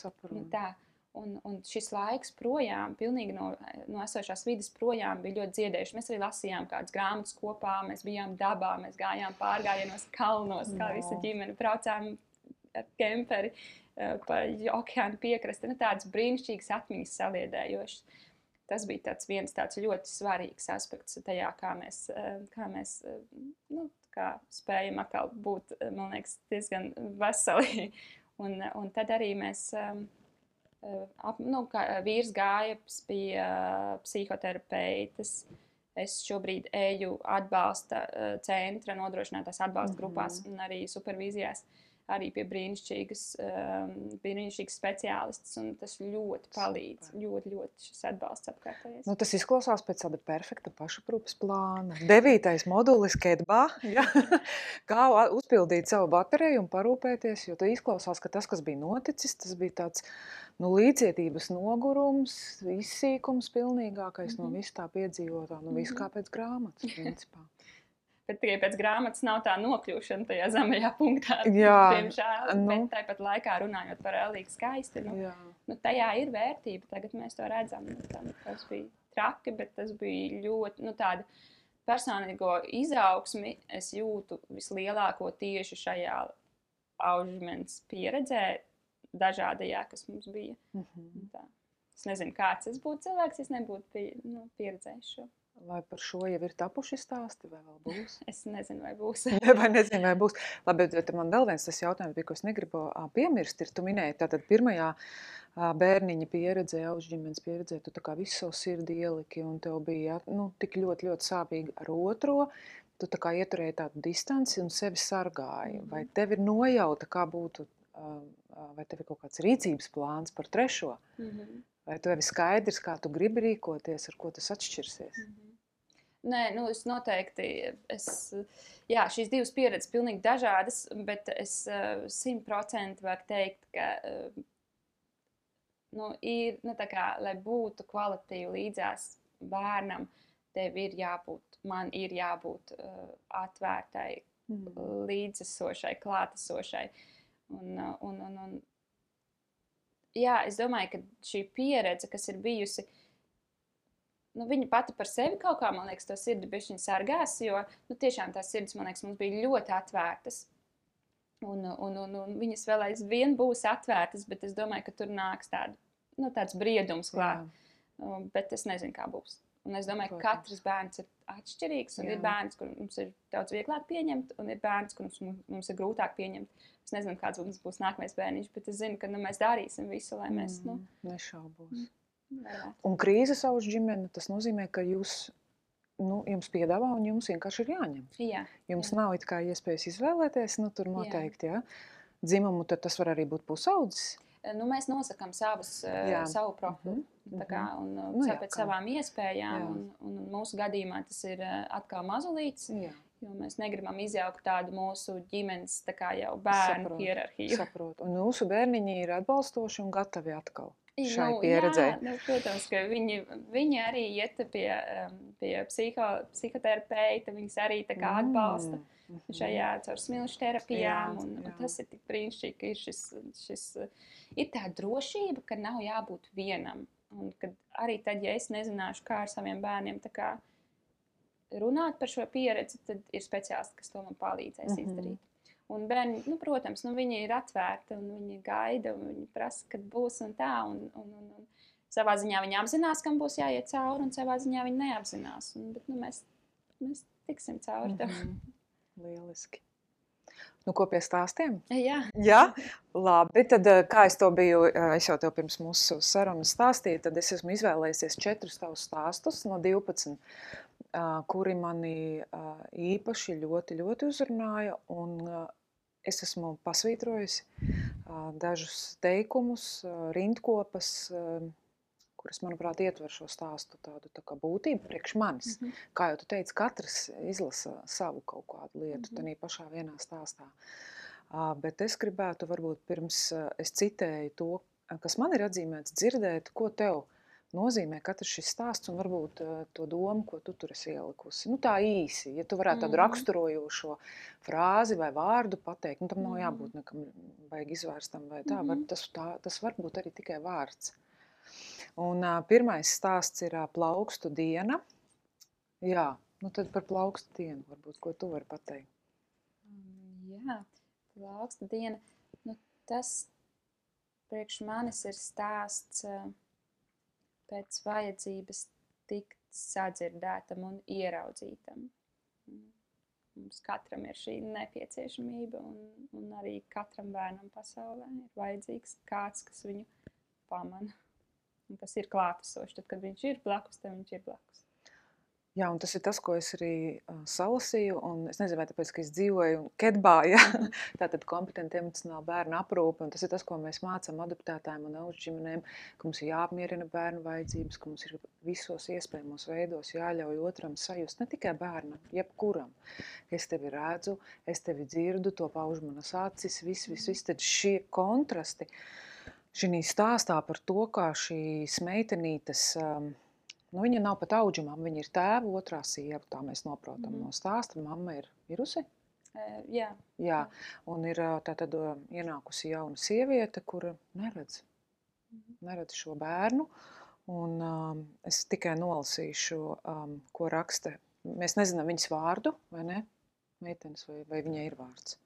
Tā. Un šis laiks projām, pilnīgi no esošās vides projām bija ļoti dziedējuši. Mēs arī lasījām kādas grāmatas kopā, mēs bijām dabā, mēs gājām pārgājienos kalnos, kā visa ģimene, braucām ar kemperi pa okeāna piekrasti. Tādas brīnišķīgas atmiņas saliedējošas. Tas bija viens tāds ļoti svarīgs aspekts tajā, kā mēs spējam atkal būt, man liekas, diezgan veseli. Un tad arī mēs, vīrs gāja pie psihoterapeites. Es šobrīd eju atbalsta centra, nodrošinātās atbalsta grupās un arī supervīzijās. Arī pie brīnišķīgas speciālistas, un tas ļoti palīdz. Ļoti šis atbalsts apkārtējais. Tas izklausās pēc tāda perfekta pašaprūpes plāna. 9. modulis Kedbā, ja? Kā uzpildīt savu bateriju un parūpēties, jo izklausās, ka tas, kas bija noticis, tas bija tāds līdzietības nogurums, izsīkums pilnīgākais no visu tā piedzīvotā, visu kā pēc grāmatas, principā. Bet tikai pēc grāmatas nav tā nokļūšana tajā zemajā punktā, diemžēl. Bet tāpat laikā runājot par ēlīgi skaisti, tajā ir vērtība. Tagad mēs to redzam. Tas bija traki, bet tas bija ļoti, tāda personīgo izaugsmi es jūtu vislielāko tieši šajā Aužmens pieredzē, dažādajā, kas mums bija. Tā. Es nezinu, kāds es būtu cilvēks, es nebūtu pieredzējis šo. Vai par šo jau ir tapuši stāsti, vai vēl būs? Es nezinu, vai būs. Vai nezinu, vai būs. Labi, bet man vēl viens tas jautājums bija, ko es negribu piemirst, ir, tu minēji, tātad pirmajā bērniņa pieredzē, Aužģimenes pieredzē, tu tā kā visu savu sirdi ieliki, un tev bija tik ļoti, ļoti sāpīgi ar otro, tu tā kā ieturēji tādu distanci un sevi sargāji. Vai tev ir nojauta, kā būtu, vai tev ir kaut kāds rīcības plāns par trešo? Vai tev ir skaidrs, kā tu gribi rīkoties, ar ko tas atšķirsies? Nē, es noteikti, šīs divas pieredzes pilnīgi dažādas, bet es 100% varu teikt, ka ir, tā kā, lai būtu kvalitīvi līdzās bērnam, man ir jābūt atvērtai, līdzesošai, klātesošai. Es domāju, ka šī pieredze, kas ir bijusi, viņa pati par sevi kaut kā, man liekas, to sirdi bišķiņ sargās, jo, tiešām tās sirdis, man liekas, mums bija ļoti atvērtas. Un viņas vēl aizvien būs atvērtas, bet es domāju, ka tur nāks tāds briedums klāt. Bet es nezinu, kā būs. Un es domāju, ka katrs bērns ir atšķirīgs, un ir bērns, kur mums ir daudz vieglāk pieņemt, un ir bērns, kur mums ir grūtāk pieņemt. Es nezinu, kāds mums būs nākamais bērniņš, bet es zinu, ka mēs darīsim visu, lai mēs, Nešaubos. Un krīzes Aužģimene, tas nozīmē, ka jums piedāvā un jums vienkārši ir jāņem. Jums nav it kā iespējas izvēlēties, tur noteikti, dzimumu, tad tas var arī būt pusaudzis. Mēs nosakām savu profilu, pēc savām iespējām, un mūsu gadījumā tas ir atkal mazulīts, jo mēs negribam izjaukt tādu mūsu ģimenes jau bērnu hierarhiju. Saprotu. Un mūsu bērniņi ir atbalstoši un gatavi atkal šai pieredzē. Protams, ka viņi arī iet pie psihoterapeita, viņas arī atbalsta šajā caur smilšu terapijām, un tas ir tik brīnišķīgi, ka ir ir tā drošība, ka nav jābūt vienam, un kad arī tad, ja es nezināšu, kā ar saviem bērniem runāt par šo pieredzi, tad ir speciālisti, kas to man palīdzēs izdarīt. Un bērni, protams, viņi ir atvērti, un viņi gaida, un viņi prasa, kad būs un tā, un savā ziņā viņi apzinās, kam būs jāiet cauri, un savā ziņā viņi neapzinās, bet mēs tiksim cauri tam. Lieliski. Ko pie stāstiem? Jā. Labi, tad kā es jau tev pirms mūsu sarunas stāstīju, tad es esmu izvēlējusies 4 tavus stāstus no 12, kuri mani īpaši ļoti, ļoti uzrunāja, un es esmu pasvītrojusi dažus teikumus, rindkopas, kuras, manuprāt, ietver šo stāstu tādu būtību priekš manis. Kā jau tu teici, katrs izlasa savu kaut kādu lietu tanī pašā vienā stāstā. Bet es gribētu varbūt pirms es citēju to, kas man ir atzīmēts, dzirdēt, ko tev nozīmē katrs šis stāsts un varbūt to domu, ko tu tur esi ielikusi. Nu, tā īsi, ja tu varētu tādu raksturojošo frāzi vai vārdu pateikt, nu, tam nav jābūt nekam vajag izvērstam vai tā, tas var būt arī tikai vārds. Un pirmais stāsts ir plaukstu diena. Jā, nu tad par plaukstu dienu varbūt, ko tu vari pateikt. Jā, plaukstu diena, nu tas priekš manis ir stāsts pēc vajadzības tikt sadzirdētam un ieraudzītam. Mums katram ir šī nepieciešamība un arī katram bērnam pasaulē ir vajadzīgs kāds, kas viņu pamana un kas ir klātesošs. Tad, kad viņš ir blakus, tad viņš ir blakus. Jā, un tas ir tas, ko es arī salasīju, un es nezinu, vai tāpēc, ka es dzīvoju Kedbā, ja? Tātad kompetenti emocionāli bērnu aprūpe, un tas ir tas, ko mēs mācām adoptētājiem un auģu ģimenēm, ka mums ir jāapmierina bērnu vajadzības, ka mums ir visos iespējamos veidos jāļauj otram sajust, ne tikai bērnam, jebkuram. Es tevi redzu, es tevi dzirdu, to pauž manas acis, viss, tad šie kontrasti, šī stāstā par to, kā šīs meitenītes, nu, viņa nav pat auģumam, viņa ir tēva otrā sieva, tā mēs noprotam no stāsta. Mamma ir mirusi? Jā. Jā, un ir tātad ienākusi jauna sieviete, kura neredz šo bērnu. Un es tikai nolasīšu, ko raksta. Mēs nezinām viņas vārdu, vai ne? Meitenes, vai viņai ir vārds?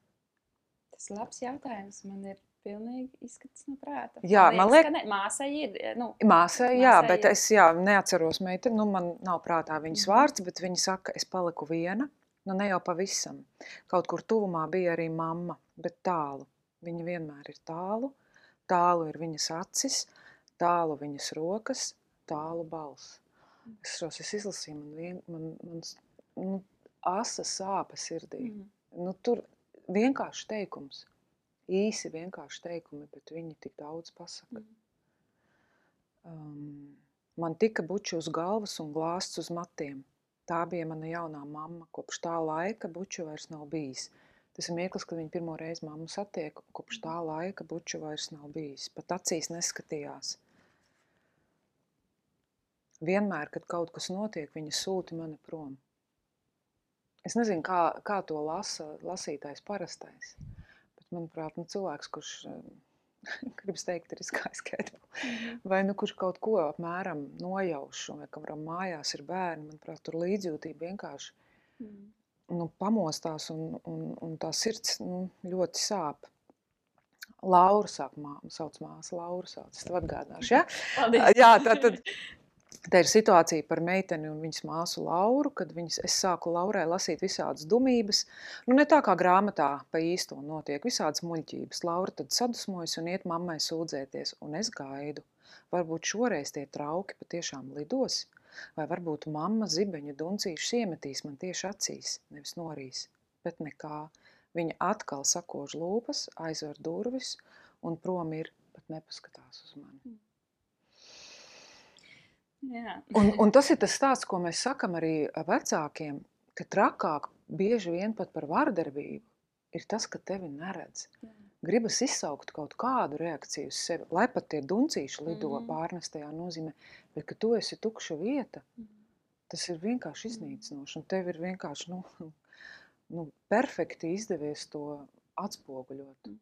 Tas labs jautājums. Man ir pilnīgi izskats no prāta. Jā, man liekas, ka māsai ir. Nu, māsai, jā, bet es neatceros meiteni, nu man nav prātā viņas vārds, bet viņa saka, es paliku viena, nu ne jau pavisam. Kaut kur tuvumā bija arī mamma, bet tālu. Viņa vienmēr ir tālu, tālu ir viņas acis, tālu viņas rokas, tālu balss. Es izlasīju, man asa sāpe sirdī. Nu, tur vienkārši teikums. Īsi vienkārši teikumi, bet viņi tik daudz pasaka. Man tika buči uz galvas un glāsts uz matiem. Tā bija mana jaunā mamma. Kopš tā laika buču vairs nav bijis. Tas ir mirklis, kad viņa pirmo reizi mammu satiek. Kopš tā laika buču vairs nav bijis. Pat acīs neskatījās. Vienmēr, kad kaut kas notiek, viņa sūta mani prom. Es nezinu, kā to lasītājs parastais. Manuprāt, cilvēks, kurš, gribas teikt, ir izgājis Kedbu, vai kurš kaut ko apmēram nojauš, vai kam mājās ir bērni, manuprāt, tur līdzjūtība vienkārši pamostās un tā sirds ļoti sāp. Laura sauc māsa, Laura sauc, es tev atgādināšu, ja? Paldies. Jā, tātad. Tā ir situācija par meiteni un viņas māsu Lauru, kad es sāku Laurai lasīt visādas dumības. Nu, ne tā kā grāmatā pa īsto notiek, visādas muļķības. Laura tad sadusmojas un iet mammai sūdzēties, un es gaidu. Varbūt šoreiz tie trauki patiešām lidos, vai varbūt mamma zibeņu duncīšus iemetīs man tieši acīs, nevis norīs. Bet nekā. Viņa atkal sakož lūpas, aizver durvis, un prom ir, pat nepaskatās uz mani. Un tas ir tas stāsts, ko mēs sakam arī vecākiem, ka trakāk bieži vien pat par vardarbību ir tas, ka tevi neredz. Gribas izsaukt kaut kādu reakciju uz sevi, lai pat tie duncīši lido pārnestajā nozīmē, bet ka tu esi tukša vieta, tas ir vienkārši iznīcinoši, un tev ir vienkārši perfekti izdevies to atspoguļot.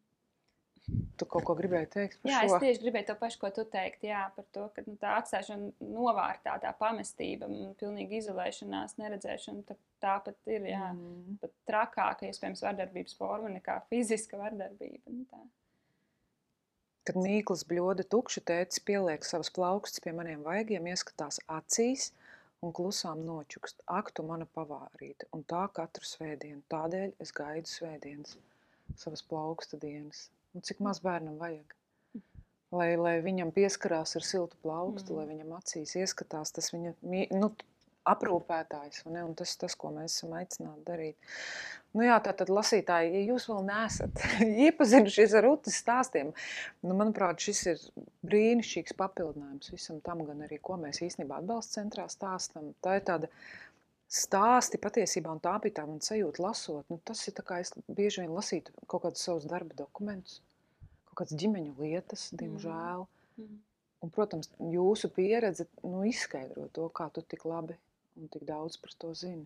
Tu kaut ko gribēji teikt par šo? Jā, es tieši gribēju to pašu, ko tu teikt, jā, par to, ka tā atstāšana novārtā, tā pamestība, pilnīga izolēšanās, neredzēšana, tā pat ir, jā, pat trakāka, iespējams, vardarbības forma nekā fiziska vardarbība. Tā. Kad mīklas bļoda tukša, tētis pieliek savas plaukstas pie maniem vaigiem, ieskatās acīs un klusām nočukst. Ak, tu mana pavārīte, un tā katru svētdienu. Tādēļ es gaidu svētdienas, savas plauksta dienas. Un cik maz bērnam vajag, lai viņam pieskarās ar siltu plaukstu, lai viņam acīs ieskatās tas viņa aprūpētājs, un tas, ko mēs esam aicināti darīt. Nu jā, tātad lasītāji, ja jūs vēl neesat iepazinušies ar Rutas stāstiem, manuprāt, šis ir brīnišķīgs papildinājums visam tam, gan arī, ko mēs īstenībā atbalsta centrā stāstam. Tā ir tāda stāsti patiesībā, un tā bija tā man sajūta lasot. Tas ir tā kā es bieži vien lasītu kaut kādus savus darba dokumentus, kaut kādas ģimeņu lietas, diemžēl. Un, protams, jūsu pieredze izskaidro to, kā tu tik labi un tik daudz par to zini.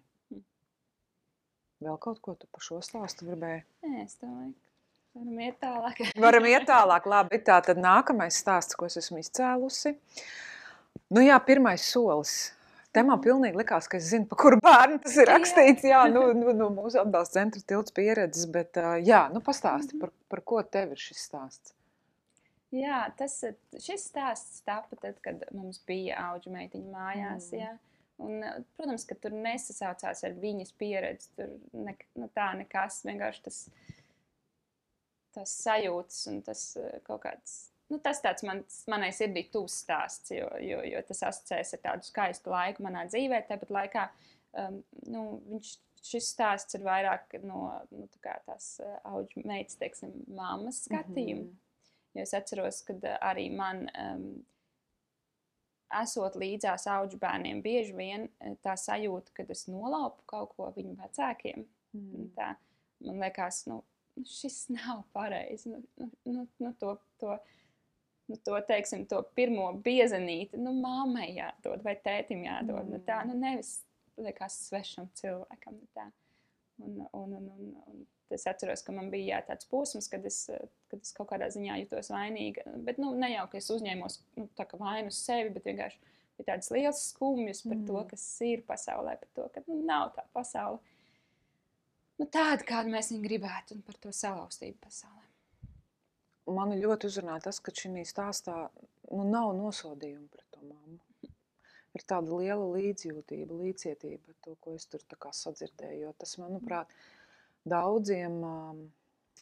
Vēl kaut ko tu par šo stāstu gribēji? Nē, es domāju, ka varam iet tālāk. Varam iet tālāk, labi. Tā tad nākamais stāsts, ko es esmu izcēlusi. Nu jā, pirmais solis. Te man pilnīgi likās, ka es zinu, pa kuru bērnu tas ir rakstīts. Jā, mūsu atbalsta centra tilts pieredzes, bet jā, pastāsti, par ko tev ir šis stāsts? Jā, šis stāsts tapa tad, kad mums bija auģu meitiņa mājās, jā. Un, protams, ka tur nesasaucās ar viņas pieredzi, tur tā nekas, vienkārši tas sajūtas un tas kaut kāds, tas tāds manai sirdī tuvs stāsts, jo tas asociēs ar tādu skaistu laiku manā dzīvē, tāpat laikā, šis stāsts ir vairāk no tās auģu meitas, teiksim, mammas skatījuma, jo es atceros, kad arī man... esot līdzās auģu bērniem, bieži vien tā sajūta, kad es nolaupu kaut ko viņu vecākiem. Tā, man liekas, šis nav pareizi. Teiksim, to pirmo biezenīti, mammai jādod vai tētim jādod. Tā, nevis liekas svešam cilvēkam. Tā. Un es atceros, ka man bija tāds posms, kad es kaut kādā ziņā jutos vainīga. Bet ne jau, ka es uzņēmos tā kā vainu uz sevi, bet vienkārši bija tādas liels skumjas par to, kas ir pasaulē, par to, ka nav tā pasaule. Tāda, kādu mēs viņu gribētu, un par to salauztību pasaulē. Mani ļoti uzrunāja tas, ka šī stāstā nav nosodījuma pret to mammu. Ir tāda liela līdzjūtība, līdzcietība, to, ko es tur tā kā sadzirdēju, jo tas, manuprāt,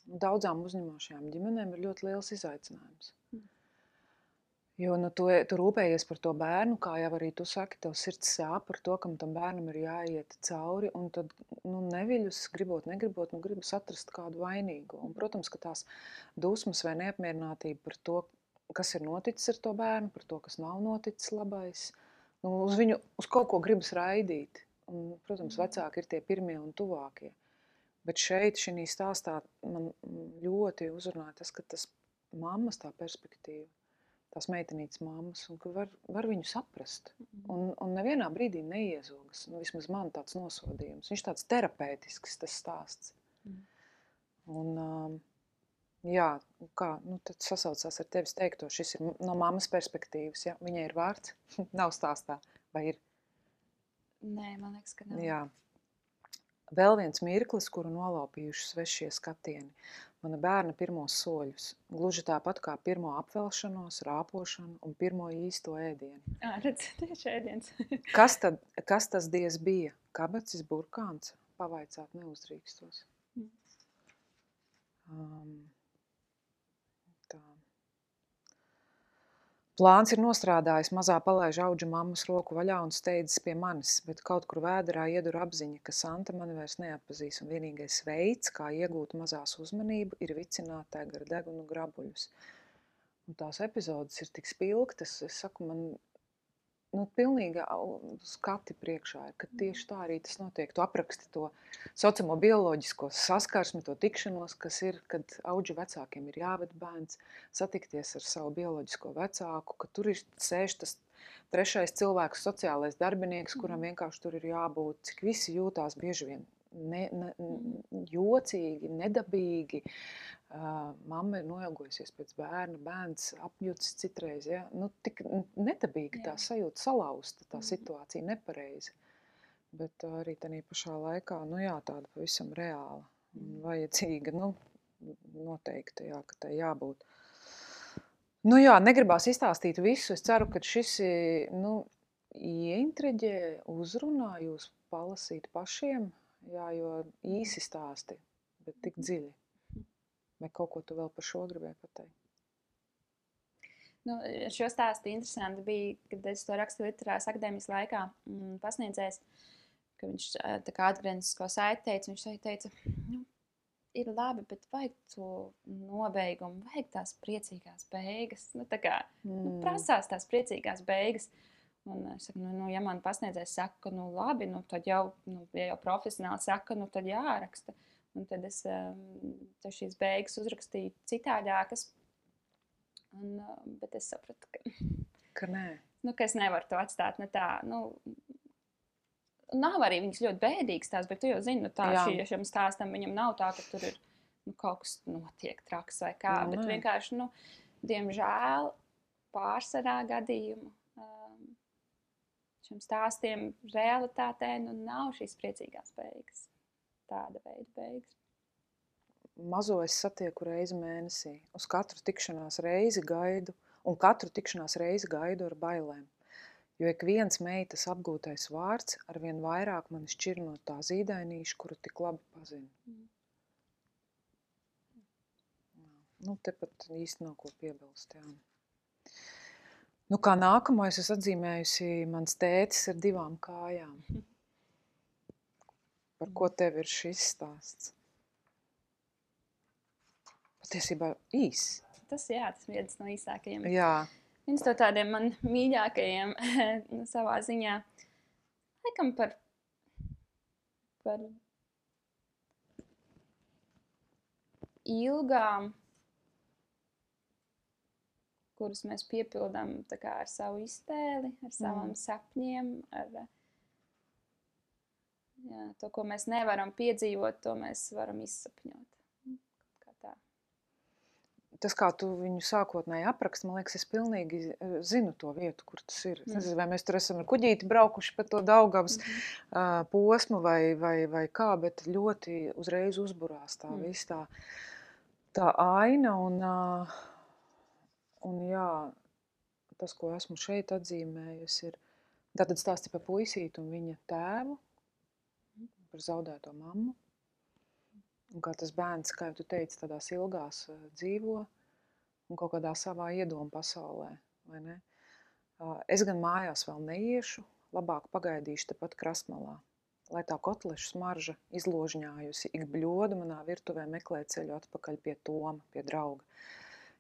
daudzām uzņemošajām ģimenēm ir ļoti liels izaicinājums. Jo tu rūpējies par to bērnu, kā jau arī tu saki, tev sirds sāp par to, kam tam bērnam ir jāiet cauri, un tad neviļus, negribot, gribas atrast kādu vainīgu. Un, protams, ka tās dusmas vai neapmierinātība par to, kas ir noticis ar to bērnu, par to, kas nav noticis labais, uz kaut ko gribas raidīt. Un, protams, vecāki ir tie pirmie un tuvākie. Bet šeit, šī stāstā, man ļoti uzrunāja tas, ka tas mammas tā perspektīva, tās meitenītes mammas, un ka var viņu saprast. Un nevienā brīdī neiezogas. Vismaz man tāds nosodījums. Viņš tāds terapeitisks, tas stāsts. Un, jā, kā, tad sasaucās ar tevis teikto, šis ir no mammas perspektīvas, ja? Viņai ir vārds, nav stāstā, vai ir? Nē, man liekas, ka nav. Jā. Vēl viens mirklis, kuru nolaupījuši svešie skatieni. Mana bērna pirmos soļus. Gluži tāpat kā pirmo apvelšanos, rāpošanu un pirmo īsto ēdienu. Redz, tieši ēdiens. Kas tas diez bija? Kabacis, burkāns? Pavaicāt neuzdrīkstos. Tā. Plāns ir nostrādājis, mazā palaiž auģu mammas roku vaļā un steidzas pie manis, bet kaut kur vēderā iedur apziņa, ka Santa mani vairs neatpazīs, un vienīgais veids, kā iegūt mazās uzmanību, ir vicināt tā gar degunu grabuļus. Un tās epizodes ir tik spilgtas, es saku, man pilnīgi skati priekšā ir, ka tieši tā arī tas notiek. Tu apraksti to saucamo bioloģisko saskarsmi, to tikšanos, kas ir, kad auģu vecākiem ir jāved bērns, satikties ar savu bioloģisko vecāku, ka tur ir sēž tas trešais cilvēks, sociālais darbinieks, kuram vienkārši tur ir jābūt, cik visi jūtās bieži vien jocīgi, nedabīgi. Mamma ir noilgojusies pēc bērna, bērns apjucis citreiz, ja? Tik nedabīgi tā sajūta, salauzta tā situācija, nepareizi. Bet arī tādā pašā laikā, tāda pavisam reāla un vajadzīga, noteikti, ka tai jābūt. Negribās izstāstīt visu, es ceru, ka šis, ieintriģē, uzrunā jūs palasīt pašiem, jo īsi stāsti, bet tik dziļi. Vai kaut ko tu vēl par šo gribēji pateikt? Šo stāstu interesanti bija, kad es to rakstu literārās akadēmijas laikā pasniedzējs, ka viņš tā kā atgrieznisko saiti teica, viņš teica, ir labi, bet vajag to nobeigumu, vajag tās priecīgās beigas, prasās tās priecīgās beigas. Un es saku, ja man pasniedzējs saka, ka labi, tad jau, ja jau profesionāli saka, tad jāraksta. Un tad es šīs beigas uzrakstīju citādākas. Bet es sapratu, Ka nē. ka es nevaru to atstāt tā. Nav arī viņas ļoti bēdīgas tās, bet tu jau zini, tā šim stāstam viņam nav tā, ka tur ir kaut kas notiek traks vai kā. Bet vienkārši, diemžēl, pārsvarā gadījumu šiem stāstiem realitātē nav šīs priecīgās beigas. Tāda veida beigas. Mazo es satieku reizi mēnesī. Uz katru tikšanās reizi gaidu, un katru tikšanās reizi gaidu ar bailēm. Jo ik viens meitas apgūtais vārds arvien vairāk mani šķir no tā zīdainīša, kuru tik labi pazinu. Tepat īsti nav ko piebilst, jā. Kā nākamais es atzīmējusi, mans tētis ar 2 kājām. Par ko tev ir šis stāsts? Patiesībā īs. Tas viens no īsākajiem. Jā. Viens no tādiem man mīļākajiem savā ziņā. Laikam par ilgām, kuras mēs piepildām ar savu iztēli, ar saviem sapņiem, ar to, ko mēs nevaram piedzīvot, to mēs varam izsapņot. Tas, kā tu viņu sākotnēji apraksti, man liekas, es pilnīgi zinu to vietu, kur tas ir. Es nezinu, vai mēs tur esam ar kuģīti braukuši pa to Daugavas posmu vai kā, bet ļoti uzreiz uzburās tā viss tā aina. Un jā, tas, ko esmu šeit atzīmējusi, ir tātad stāsti par puisīti un viņa tēvu, par zaudēto mammu. Un kā tas bērns, kā tu teici, tādās ilgās dzīvo un kaut kādā savā iedomu pasaulē, vai ne? Es gan mājās vēl neiešu, labāk pagaidīšu tepat krastmalā, lai tā kotlešu smarža izložņājusi ik bļodu manā virtuvē meklē ceļu atpakaļ pie Toma, pie drauga.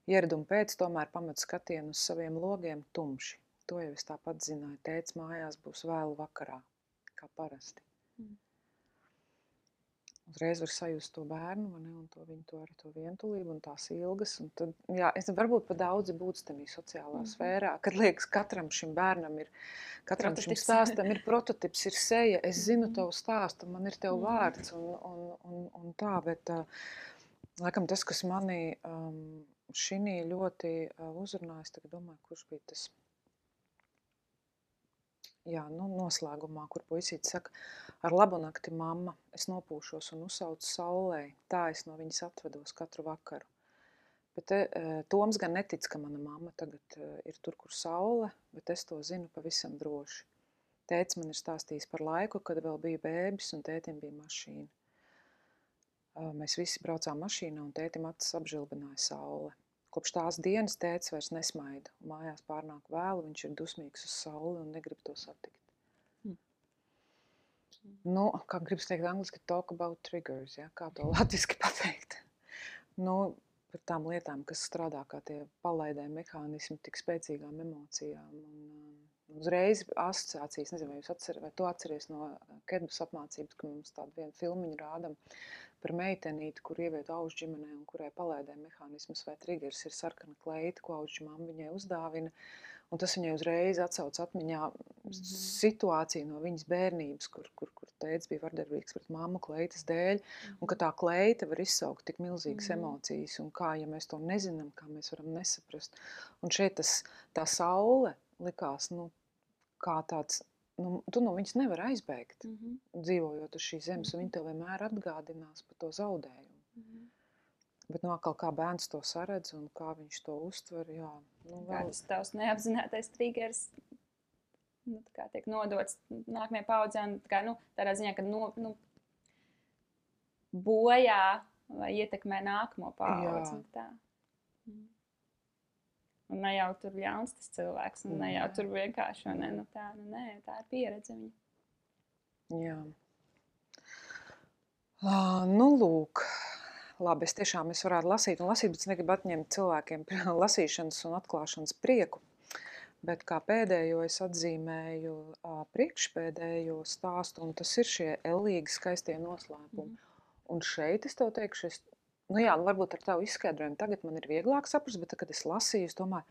Ieraduma pēc tomēr pametu skatienu uz saviem logiem tumši. To jau es tāpat zināju, tēts mājās būs vēlu vakarā, kā parasti. Uzreiz var sajust to bērnu, un to vientulību un tās ilgas. Un tad, es varbūt pa daudzi būtu tamī sociālā sfērā, kad liekas, katram šim bērnam ir, katram šim stāstam ir prototips, ir seja. Es zinu tavu stāstu, man ir tev vārds un tā, bet laikam tas, kas manī šinī ļoti uzrunājas, tagad domāju, kurš bija tas. Noslēgumā, kur puisītis saka, ar labu nakti, mamma, es nopūšos un uzsaucu saulē, tā es no viņas atvedos katru vakaru. Bet Toms gan netic, ka mana mamma tagad ir tur, kur saule, bet es to zinu pavisam droši. Tētis man ir stāstījis par laiku, kad vēl bija bēbis un tētim bija mašīna. Mēs visi braucām mašīnā un tētim acis apžilbināja saule. Kopš tās dienas tētis vairs nesmaida. Mājās pārnāk vēlu, viņš ir dusmīgs uz sauli un negrib to satikt. Kā gribas teikt angliski, talk about triggers, kā to latviski pateikt. Par tām lietām, kas strādā kā tie palaidē mehānismi tik spēcīgām emocijām. Un uzreiz asociācijas, nezinu, vai tu atceries no Kedbas apmācības, ka mums tādu vienu filmiņu rādam par meitenīti, kur ieviet aužu ģimenē un kurai palaidē mehānismus vai triggers ir sarkana kleita, ko aužu mamma viņai uzdāvina. Un tas viņai uzreiz atsauc atmiņā situāciju no viņas bērnības, kur tētis bija vardarbīgs pret mammu kleitas dēļ, un ka tā kleita var izsaukt tik milzīgas emocijas, un kā, ja mēs to nezinām, kā mēs varam nesaprast. Un šeit tā saule likās, kā tāds, tu no viņas nevar aizbēgt, dzīvojot uz šīs zemes, un viņa tev vienmēr atgādinās par to zaudējumu. Bet atkal kā bērns to saredz un kā viņš to uztver, Kāds tavs neapzinātais triggers tiek nodots nākamajai paudzei, tādā ziņā, ka bojā vai ietekmē nākamo paudzi. Un ne jau tur ļauns tas cilvēks, un ne jau tur vienkārši, tā ir pieredze viņa. Jā. Lūk. Labi, es varētu lasīt, bet es negribu atņemt cilvēkiem lasīšanas un atklāšanas prieku. Bet kā pēdējo es atzīmēju priekšpēdējo stāstu, un tas ir šie ellīgi skaistie noslēpumi. Un šeit es tev teikšu, es Nu jā, varbūt ar tavu izskaidrojumu tagad man ir vieglāk saprast, bet tad, kad es lasīju, es domāju,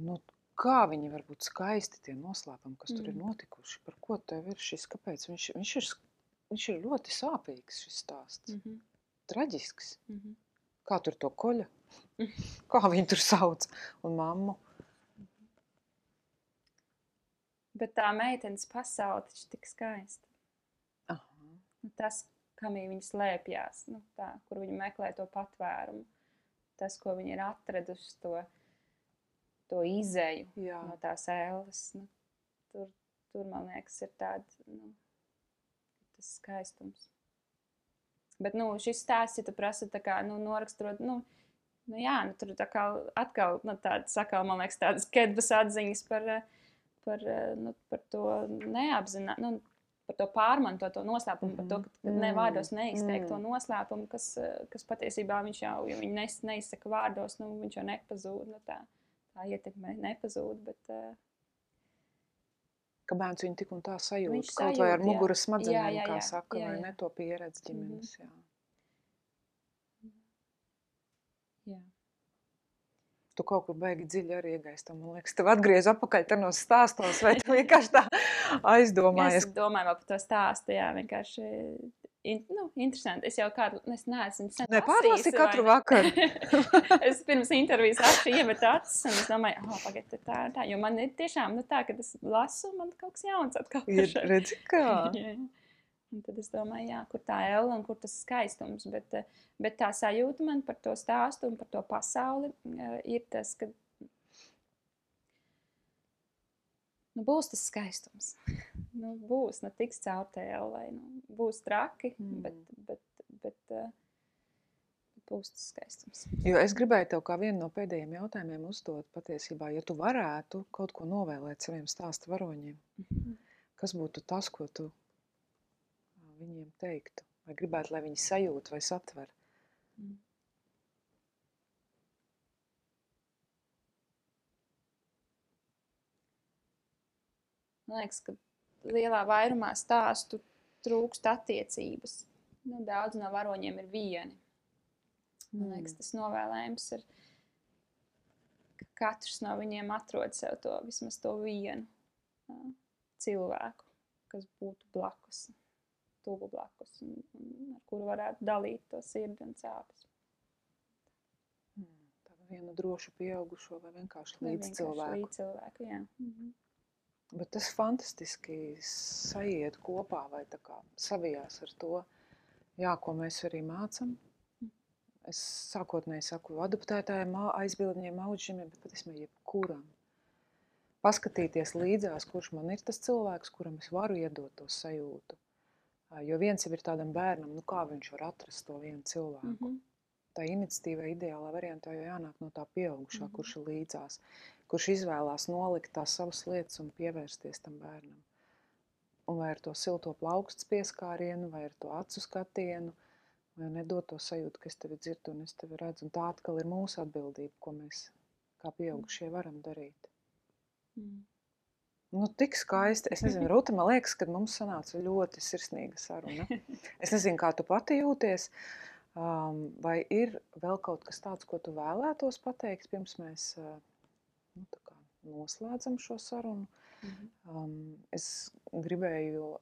nu, kā viņi var būt skaisti tie noslēpumi, kas tur ir notikuši, par ko tev ir šis, kāpēc viņš ir ļoti sāpīgs šis stāsts, traģisks. Kā tur to koļa, kā viņi tur sauc, un mammu. Bet tā meitenes pasaule taču tik skaista. Aha. Tas, kam viņa slēpjās, nu, tā, kur viņa meklē to patvērumu, tas, ko viņa ir atradusi, to izēju no tās ēles. Nu, tur, man liekas, ir tāds, nu, tas skaistums. Bet, nu, šis stāsts, ja tu prasa tā kā, nu, noraksturot, nu, jā, nu, tur tā kā atkal, nu, tādas, sakal, man liekas, tādas kedvas atziņas par to neapzināt, nu, par to pārmantoto noslēpumu, par to, ka ne vārdos neizteikt to noslēpumu, kas patiesībā viņš jau, ja viņi neizsaka vārdos, nu, viņš jau nepazūd, nu, tā ietekme nepazūd, bet... Ka bērns viņu tik un tā sajūt, kaut vai ar muguras smadzenēm, kā saka, vai ne to pieredzi ģimenes, jā. Jā. Tu kaut kur baigi dziļi arī iegaistam, man liekas, tev atgriez apakaļ tenos stāstos, vai tu vienkārši tā aizdomājies? Es domāju vēl par to stāstu, jā, vienkārši, interesanti. Es jau kādu, es neesmu sen lasījusi. Nepārlasi katru vakaru. Es pirms intervijas rakstu iemet acis, un es domāju, pagaid, tā, jo man ir tiešām, nu tā, kad es lasu, man kaut kas jauns atkal. Redzi kā? Jā. Un tad es domāju, jā, kur tā elle un kur tas skaistums, bet tā sajūta man par to stāstu un par to pasauli ir tas, ka nu, būs tas skaistums. Nu, būs, nu, tiks caur tai ellei, nu, būs traki, bet būs tas skaistums. Jo es gribēju tev kā vienu no pēdējiem jautājumiem uzdot patiesībā, ja tu varētu kaut ko novēlēt saviem stāsta varoņiem, kas būtu tas, ko tu viņiem teiktu, vai gribētu, lai viņi sajūt vai satver? Man liekas, ka lielā vairumā stāstu trūkst attiecības. Nu, daudz no varoņiem ir vieni. Man liekas, tas novēlējums ir, ka katrs no viņiem atrod sev to, vismaz to vienu cilvēku, kas būtu blakus. Tuvu blakus, un ar kuru varētu dalīt to sirdi un sāpes. Tādu vienu drošu pieaugušo vai vienkārši līdzcilvēku. Līdzcilvēku, jā. Bet tas fantastiski sajiet kopā vai tā kā savijās ar to, jā, ko mēs arī mācam. Es sākotnēji saku adoptētājiem, aizbildņiem, auģiem, bet patiesībā jebkuram. Paskatīties līdzās, kurš man ir tas cilvēks, kuram es varu iedot to sajūtu. Jo viens jau ir tādam bērnam, nu kā viņš var atrast to vienu cilvēku. Tā iniciatīva ideālā variantā jau jānāk no tā pieaugušā, kurš ir līdzās, kurš izvēlās nolikt tās savas lietas un pievērsties tam bērnam. Un vai ar to silto plauksts pieskārienu, vai ar to acu skatienu, vai nedot to sajūtu, ka es tevi dzirdu un es tevi redzu. Un tā atkal ir mūsu atbildība, ko mēs kā pieaugušie varam darīt. Nu, tik skaisti. Es nezinu, Ruta, man liekas, ka mums sanāca ļoti sirsnīga saruna. Es nezinu, kā tu pati jūties. Vai ir vēl kaut kas tāds, ko tu vēlētos pateikt, pirms mēs noslēdzam šo sarunu? Es gribēju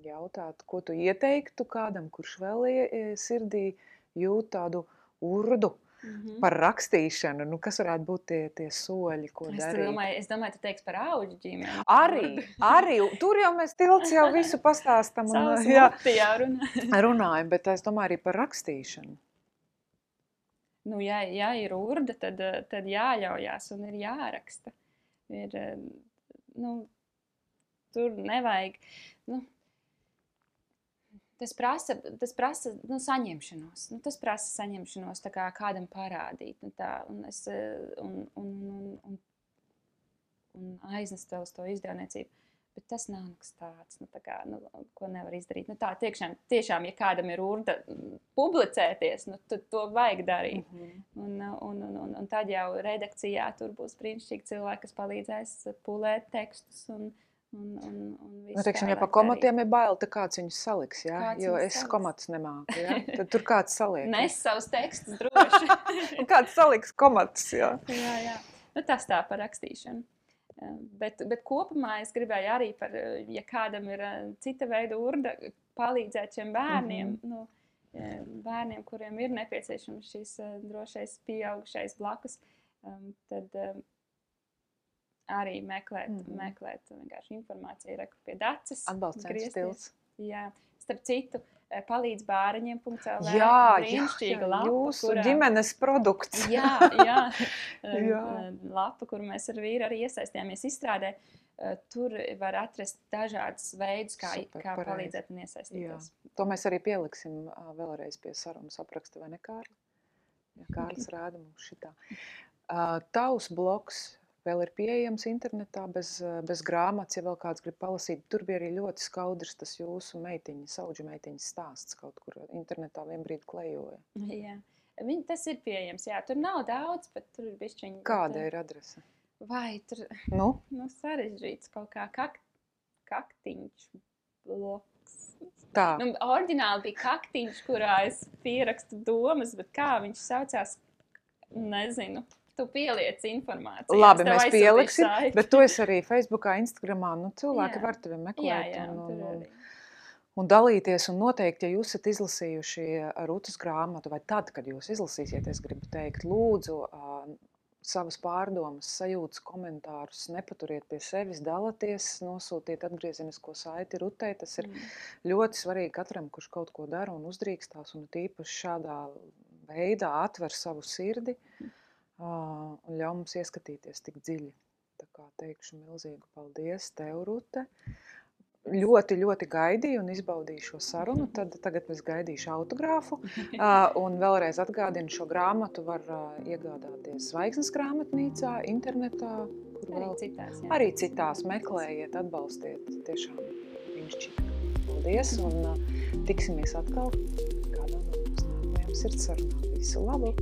jautāt, ko tu ieteiktu kādam, kurš vēl sirdī jūt tādu urdu par rakstīšanu, nu, kas varētu būt tie soļi, ko darīt? Es domāju, tu teiksi par auģu ģimeni. Arī. Tur jau mēs tilts jau visu pastāstam. Runājam, bet es domāju arī par rakstīšanu. Nu, ja ir urda, tad jāļaujās un ir jāraksta. Tur nevajag... Tas prasa saņemšanos. Tas prasa saņemšanos tā kā kādam parādīt. Un aiznest vēl uz to izdevniecību. Bet tas nav nekas tāds, ko nevar izdarīt. Tā tiešām, ja kādam ir urda publicēties, tad to vajag darīt. Un tad jau redakcijā tur būs brīnišķīgi cilvēki, kas palīdzēs pulēt tekstus un Nu, teiksim, ja pa komatiem ir bail, tad kāds viņus saliks, jā? Jo es komatus nemāku, jā? Tad tur kāds saliek. Nes savus tekstus droši. Un kāds saliks komatus, jā. Jā. Nu, tas tā par rakstīšanu. Bet kopumā es gribēju arī par, ja kādam ir cita veida urda, palīdzēt šiem bērniem, bērniem, kuriem ir nepieciešams šis drošais pieaugušais blakus, tad arī meklēt vienkārši informāciju pie Daces. Atbalsts stils. Jā, starp citu, palīdz bāriņiem.lv. Jā, jūsu ģimenes produkts. Jā. Lapa, kur mēs ar vīru arī iesaistījāmies izstrādē. Tur var atrast dažādas veidus, kā palīdzēt un iesaistīties. Jā. To mēs arī pieliksim vēlreiz pie sarunas apraksta, vai ne, Kārli? Jā, Kārlis rāda mums šitā. Tavs blogs vēl ir pieejams internetā bez grāmatas, ja vēl kāds grib palasīt. Tur bija arī ļoti skaudrs tas jūsu saudžu meitiņas stāsts kaut kur internetā vienbrīd klejoja. Jā, tas ir pieejams, jā. Tur nav daudz, bet tur ir bišķiņi. Kāda ir adrese? Vai tur sarežģīts kaut kā kaktiņš bloks. Tā. Oriģināli bija kaktiņš, kurā es pierakstu domas, bet kā viņš saucās, nezinu. Tu pieliec informāciju. Labi, mēs pieliksim, bet to es arī Facebookā, Instagramā, cilvēki var tevi meklēt un dalīties. Un noteikti, ja jūs esat izlasījuši Rutas grāmatu, vai tad, kad jūs izlasīsiet, es gribu teikt, lūdzu, savas pārdomas, sajūtas, komentārus nepaturiet pie sevis, dalaties, nosūtiet atgriezenisko saiti Rutai. Tas ir ļoti svarīgi katram, kurš kaut ko dara un uzdrīkstās, un tīpaši šādā veidā atver savu sirdi. Un ļauj mums ieskatīties tik dziļi. Tā kā teikšu milzīgu paldies tev, Rute. Ļoti, ļoti gaidīju un izbaudīju šo sarunu. Tagad es gaidīšu autogrāfu. Un vēlreiz atgādinu, šo grāmatu var iegādāties Zvaigznes grāmatnīcā, internetā. Arī citās meklējiet, atbalstiet. Tiešām brīnišķīgi. Paldies un tiksimies atkal kādā no mums nākamajām sirdsarunām. Visu labu!